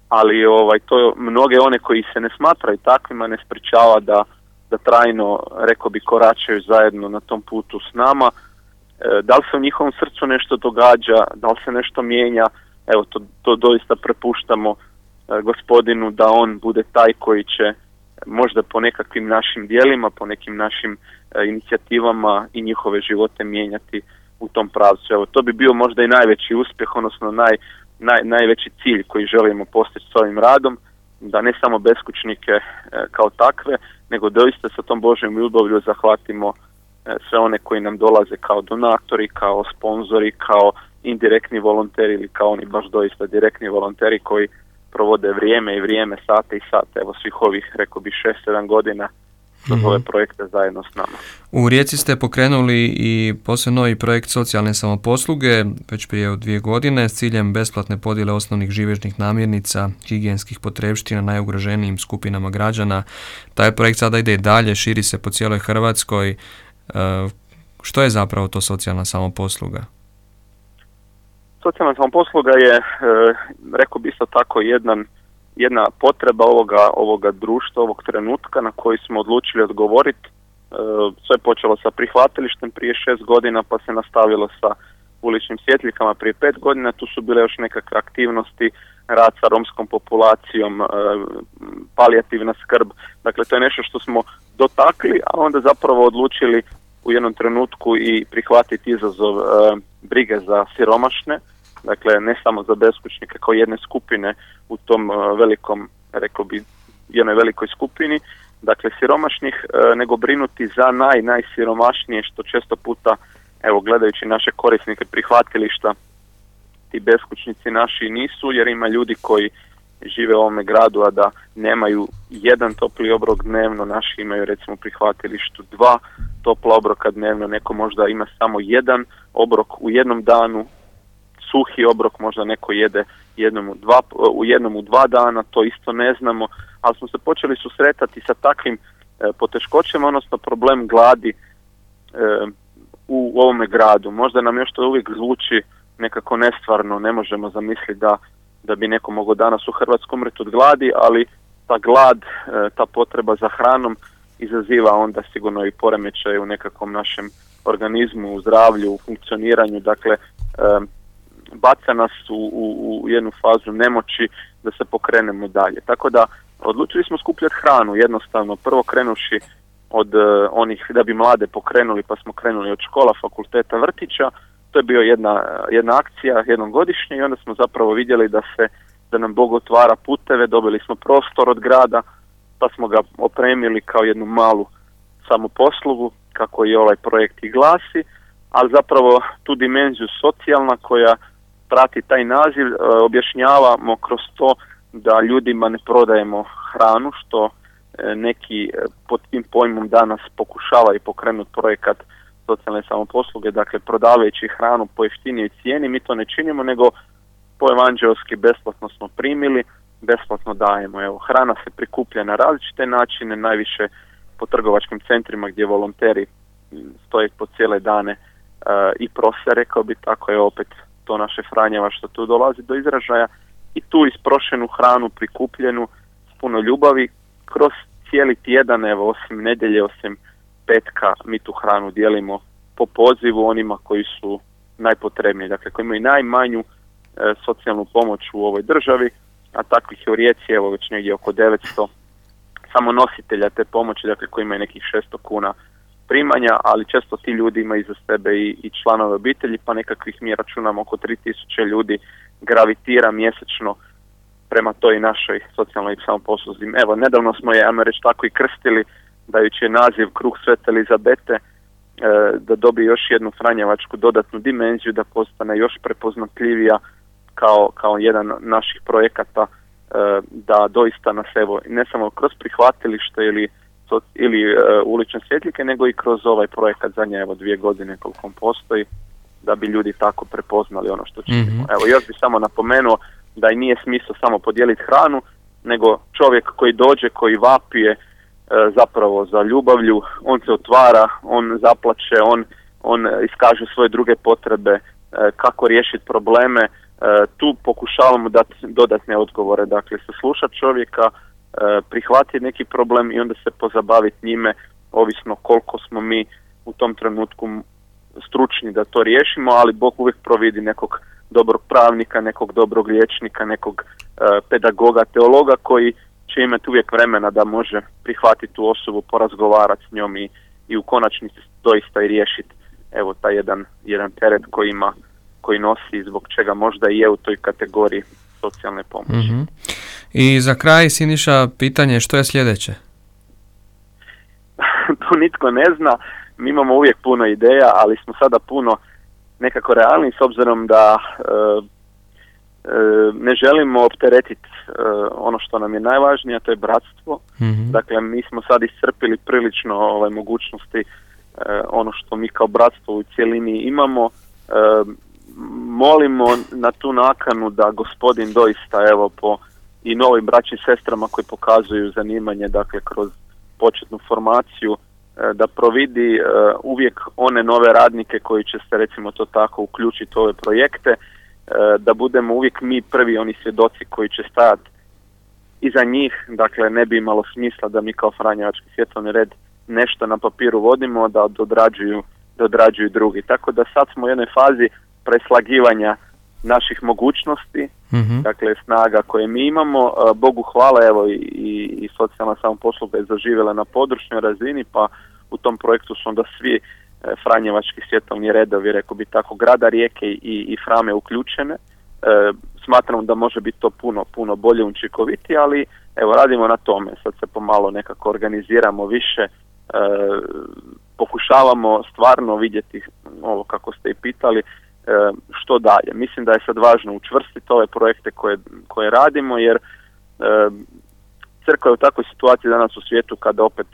[SPEAKER 4] ali to mnoge one koji se ne smatraju takvima ne sprečava da trajno, rekao bi, koračaju zajedno na tom putu s nama. Da li se u njihovom srcu nešto događa, da li se nešto mijenja, evo to doista prepuštamo Gospodinu, da on bude taj koji će možda po nekakvim našim djelima, po nekim našim inicijativama i njihove živote mijenjati u tom pravcu. Evo, to bi bio možda i najveći uspjeh, odnosno najveći cilj koji želimo postići s ovim radom, da ne samo beskućnike kao takve, nego doista sa tom Božjom ljubavlju zahvatimo sve one koji nam dolaze kao donatori, kao sponzori, kao indirektni volonteri ili kao oni baš doista direktni volonteri koji provode vrijeme, sate i sate, evo svih ovih, rekao bi, 6-7 godina kroz ove projekte zajedno s nama.
[SPEAKER 1] U Rijeci ste pokrenuli i posve novi projekt socijalne samoposluge već prije 2 godine s ciljem besplatne podjele osnovnih živežnih namirnica, higijenskih potrepština najugroženijim skupinama građana. Taj projekt sada ide dalje, širi se po cijeloj Hrvatskoj. Što je zapravo to socijalna samoposluga?
[SPEAKER 4] Socijalna samoposluga je, rekao bi isto tako, jedna potreba ovoga društva, ovog trenutka na koji smo odlučili odgovoriti. Sve je počelo sa prihvatilištem prije 6 godina, pa se nastavilo sa uličnim svjetljikama prije 5 godina. Tu su bile još nekakve aktivnosti, rad sa romskom populacijom, palijativna skrb. Dakle, to je nešto što smo dotakli, a onda zapravo odlučili u jednom trenutku i prihvatiti izazov brige za siromašne. Dakle, ne samo za beskućnike kao jedne skupine u tom velikom, rekao bi, jednoj velikoj skupini, dakle siromašnih, nego brinuti za najsiromašnije, što često puta, evo gledajući naše korisnike prihvatilišta, ti beskućnici naši nisu, jer ima ljudi koji žive u ovome gradu, a da nemaju jedan topli obrok dnevno. Naši imaju recimo prihvatilištu 2 topla obroka dnevno, neko možda ima samo jedan obrok u jednom danu, suhi obrok možda neko jede u jednom u 2 dana, to isto ne znamo, ali smo se počeli susretati sa takvim poteškoćama, odnosno problem gladi u ovome gradu. Možda nam još to uvijek zvuči nekako nestvarno, ne možemo zamisliti da bi neko mogao danas u Hrvatskoj umreti od gladi, ali ta glad, ta potreba za hranom izaziva onda sigurno i poremećaj u nekakvom našem organizmu, u zdravlju, u funkcioniranju, dakle baca nas u jednu fazu nemoći da se pokrenemo dalje. Tako da odlučili smo skupljati hranu jednostavno, prvo krenuši od onih da bi mlade pokrenuli, pa smo krenuli od škola, fakulteta, vrtića. To je bio jedna akcija jednom godišnje i onda smo zapravo vidjeli da nam Bog otvara puteve, dobili smo prostor od grada, pa smo ga opremili kao jednu malu samoposlugu, kako je ovaj projekt i glasi, ali zapravo tu dimenziju socijalna koja prati taj naziv objašnjavamo kroz to da ljudima ne prodajemo hranu, što neki pod tim pojmom danas pokušavaju pokrenuti projekat socijalne samoposluge, dakle prodavajući hranu po jeftinijoj cijeni. Mi to ne činimo, nego po evanđelski besplatno smo primili, besplatno dajemo. Evo, hrana se prikuplja na različite načine, najviše po trgovačkim centrima gdje volonteri stoje po cijele dane i prose, rekao bi, tako je opet to naše Franjeva što tu dolazi do izražaja, i tu isprošenu hranu prikupljenu s puno ljubavi kroz cijeli tjedan, evo osim nedjelje, osim petka, mi tu hranu dijelimo po pozivu onima koji su najpotrebniji, dakle koji imaju najmanju socijalnu pomoć u ovoj državi, a takvih je u Rijeci evo već negdje oko 900 samo nositelja te pomoći, dakle koji imaju nekih 600 kuna primanja, ali često ti ljudi imaju iza sebe i članove obitelji, pa nekakvih mi računamo oko 3000 ljudi gravitira mjesečno prema toj našoj socijalnoj samoposluzi. Evo, nedavno smo je, ajmo reći tako, i krstili, dajući je naziv Kruh Svete Elizabete, da dobije još jednu franjevačku dodatnu dimenziju, da postane još prepoznatljivija kao jedan naših projekata, da doista nas evo ne samo kroz prihvatilište ili ulične svjetljike, nego i kroz ovaj projekat zadnje 2 godine koliko on postoji, da bi ljudi tako prepoznali ono što činimo.
[SPEAKER 1] Mm-hmm.
[SPEAKER 4] Evo, još bi samo napomenuo da i nije smisao samo podijeliti hranu, nego čovjek koji dođe, koji vapije zapravo za ljubavlju, on se otvara, on zaplače, on iskaže svoje druge potrebe, kako riješiti probleme. Tu pokušavamo dati dodatne odgovore, dakle saslušati čovjeka, prihvatiti neki problem i onda se pozabaviti njime, ovisno koliko smo mi u tom trenutku stručni da to riješimo, ali Bog uvijek providi nekog dobrog pravnika, nekog dobrog liječnika, nekog pedagoga, teologa koji će imati uvijek vremena da može prihvatiti tu osobu, porazgovarati s njom i u konačnici doista i riješiti evo taj jedan teret koji nosi, zbog čega možda i je u toj kategoriji socijalne pomoći.
[SPEAKER 1] Mm-hmm. I za kraj, Siniša, pitanje što je sljedeće?
[SPEAKER 4] To nitko ne zna, mi imamo uvijek puno ideja, ali smo sada puno nekako realni s obzirom da ne želimo opteretiti ono što nam je najvažnije, a to je bratstvo. Mm-hmm. Dakle, mi smo sad iscrpili prilično mogućnosti, ono što mi kao bratstvo u cjelini imamo. Molimo na tu nakanu da Gospodin doista evo po i novim braćim sestrama koji pokazuju zanimanje, dakle kroz početnu formaciju, da providi uvijek one nove radnike koji će se, recimo to tako, uključiti u ove projekte, da budemo uvijek mi prvi oni svjedoci koji će stajati iza njih. Dakle, ne bi imalo smisla da mi kao Franjevački svjetovni red nešto na papiru vodimo, da odrađuju drugi. Tako da sad smo u jednoj fazi preslagivanja naših mogućnosti, mm-hmm. dakle snaga koje mi imamo. Bogu hvala, evo i socijalna samoposluga je zaživjela na područnoj razini, pa u tom projektu su onda svi Franjevački svjetovni redovi, rekao bi tako, grada Rijeke i Frame uključene. Smatram da može biti to puno bolje, učinkovitije, ali evo radimo na tome. Sad se pomalo nekako organiziramo više, pokušavamo stvarno vidjeti ovo kako ste i pitali, što dalje. Mislim da je sad važno učvrstiti ove projekte koje radimo, jer crkva je u takvoj situaciji danas u svijetu kada opet,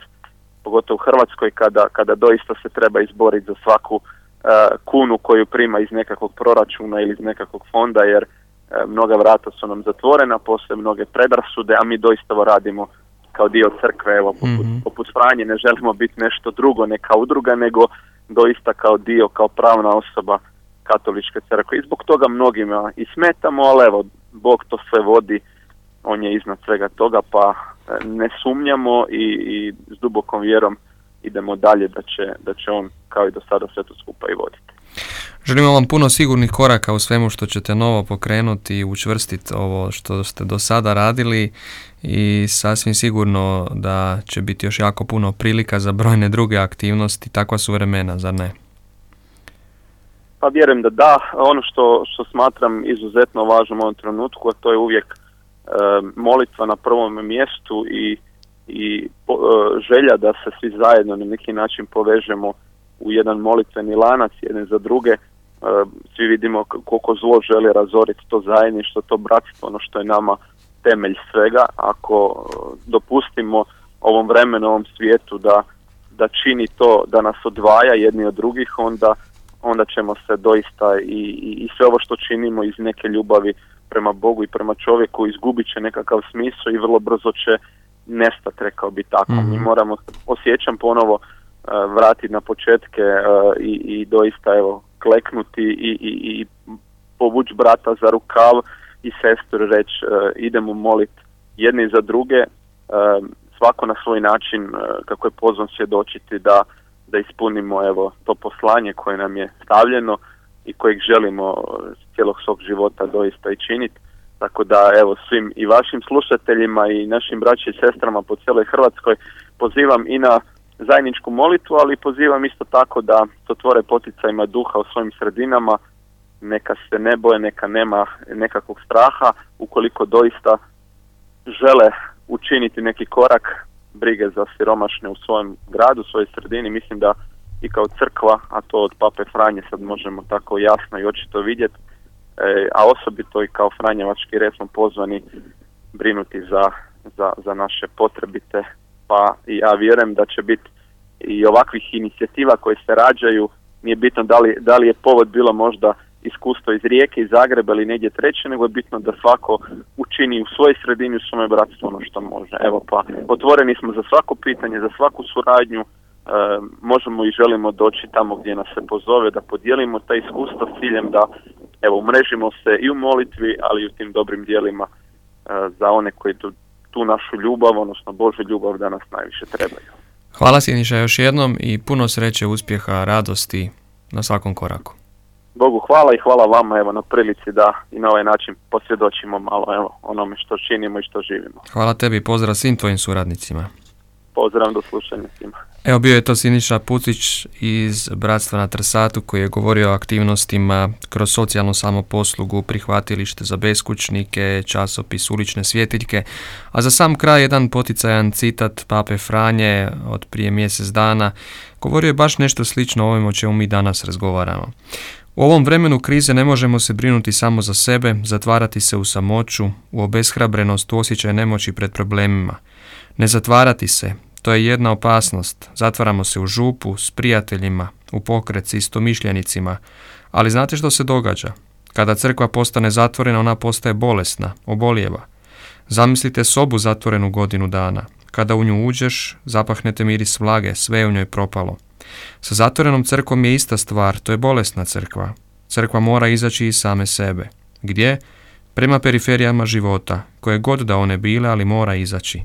[SPEAKER 4] pogotovo u Hrvatskoj, kada doista se treba izboriti za svaku kunu koju prima iz nekakvog proračuna ili iz nekakvog fonda, jer mnoga vrata su nam zatvorena, postoje mnoge predrasude, a mi doista radimo kao dio crkve, evo poput Franje, ne želimo biti nešto drugo, ne kao udruga, nego doista kao dio, kao pravna osoba Katoličke crkve. I zbog toga mnogima i smetamo, ali evo, Bog to sve vodi, on je iznad svega toga, pa ne sumnjamo i s dubokom vjerom idemo dalje da će on kao i do sada sve to skupa i voditi.
[SPEAKER 1] Želimo vam puno sigurnih koraka u svemu što ćete novo pokrenuti i učvrstiti ovo što ste do sada radili, i sasvim sigurno da će biti još jako puno prilika za brojne druge aktivnosti. Takva su vremena, zar ne?
[SPEAKER 4] Pa vjerujem da. Ono što smatram izuzetno važnom u ovom trenutku, a to je uvijek molitva na prvom mjestu i želja da se svi zajedno na neki način povežemo u jedan molitveni lanac jedne za druge. Svi vidimo koliko zlo želi razoriti to zajedništvo, to bratstvo, ono što je nama temelj svega. Ako dopustimo ovom vremenu, ovom svijetu da čini to, da nas odvaja jedni od drugih, onda ćemo se doista i sve ovo što činimo iz neke ljubavi prema Bogu i prema čovjeku izgubit će nekakav smisao i vrlo brzo će nestati, rekao bi tako. Mm-hmm. Mi moramo, osjećam ponovo vratiti na početke i doista evo kleknuti i povući brata za rukav i sestru reći idemo moliti jedni za druge, svako na svoj način kako je pozvan svjedočiti da ispunimo evo to poslanje koje nam je stavljeno i kojeg želimo cijelog svog života doista i činiti. Tako da evo svim i vašim slušateljima i našim braći i sestrama po cijeloj Hrvatskoj pozivam i na zajedničku molitvu, ali pozivam isto tako da se otvore poticajima duha u svojim sredinama, neka se ne boje, neka nema nekakvog straha, ukoliko doista žele učiniti neki korak brige za siromašne u svojem gradu, u svojoj sredini. Mislim da i kao crkva, a to od Pape Franje sad možemo tako jasno i očito vidjeti, a osobito i kao Franjevački red smo pozvani brinuti za naše potrebite, pa ja vjerujem da će biti i ovakvih inicijativa koje se rađaju, nije bitno da li je povod bilo možda iskustvo iz Rijeke, iz Zagreba ili negdje treće, nego je bitno da svako učini u svojoj sredini, u svome bratstvu ono što može. Evo pa, otvoreni smo za svako pitanje, za svaku suradnju, možemo i želimo doći tamo gdje nas se pozove, da podijelimo ta iskustva s ciljem da evo umrežimo se i u molitvi, ali i u tim dobrim dijelima za one koji tu našu ljubav, odnosno Božju ljubav da nas najviše trebaju.
[SPEAKER 1] Hvala Siniša još jednom i puno sreće, uspjeha, radosti na svakom koraku.
[SPEAKER 4] Bogu hvala i hvala vama evo na prilici da i na ovaj način posvjedočimo malo evo onome što činimo i što živimo.
[SPEAKER 1] Hvala tebi i pozdrav svim tvojim suradnicima.
[SPEAKER 4] Pozdrav, do slušanja svima.
[SPEAKER 1] Evo bio je to Siniša Pucić iz Bratstva na Trsatu koji je govorio o aktivnostima kroz socijalnu samoposlugu, prihvatilište za beskućnike, časopis Ulične svjetiljke, a za sam kraj jedan poticajan citat Pape Franje od prije mjesec dana. Govorio je baš nešto slično o ovome o čemu mi danas razgovaramo. U ovom vremenu krize ne možemo se brinuti samo za sebe, zatvarati se u samoću, u obeshrabrenost, u osjećaj nemoći pred problemima. Ne zatvarati se, to je jedna opasnost. Zatvaramo se u župu, s prijateljima, u pokret s istomišljenicima. Ali znate što se događa? Kada crkva postane zatvorena, ona postaje bolesna, obolijeva. Zamislite sobu zatvorenu godinu dana. Kada u nju uđeš, zapahnete miris vlage, sve je u njoj propalo. Sa zatvorenom crkvom je ista stvar, to je bolesna crkva. Crkva mora izaći iz same sebe. Gdje? Prema periferijama života, koje god da one bile, ali mora izaći.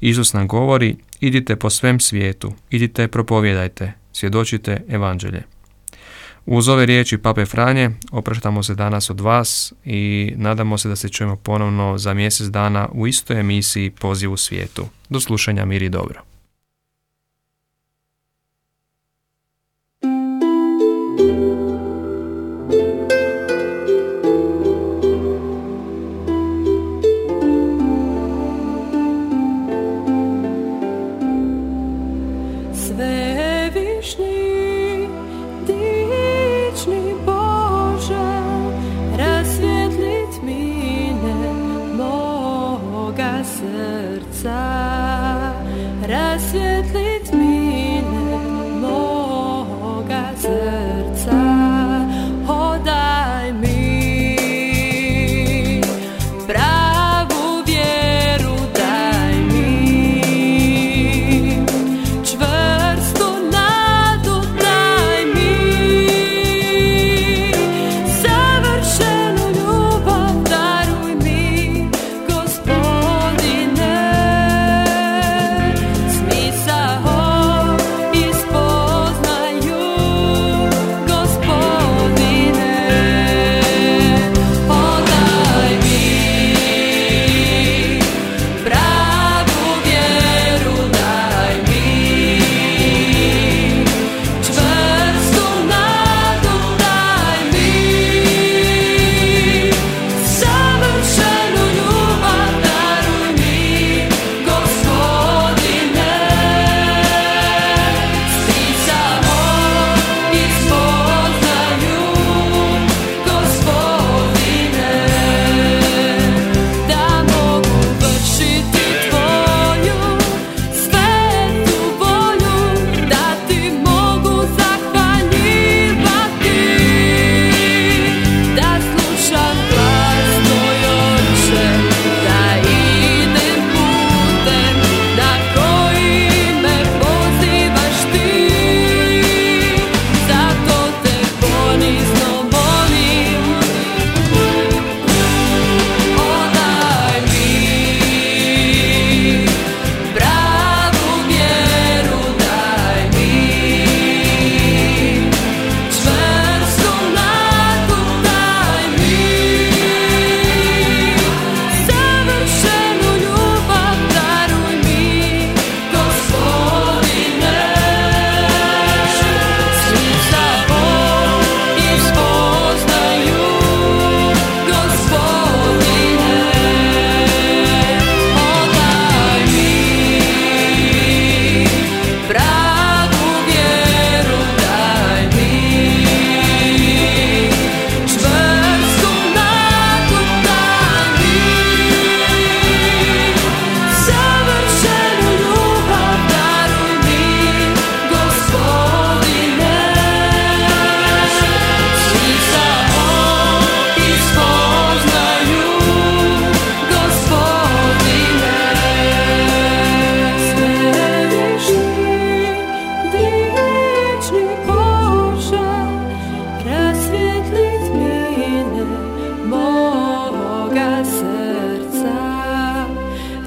[SPEAKER 1] Isus nam govori, idite po svem svijetu, idite propovijedajte, svjedočite evanđelje. Uz ove riječi Pape Franje opraštamo se danas od vas i nadamo se da se čujemo ponovno za mjesec dana u istoj emisiji Poziv u svijetu. Do slušanja, mir i dobro.
[SPEAKER 5] Smisao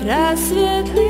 [SPEAKER 5] rasvijetli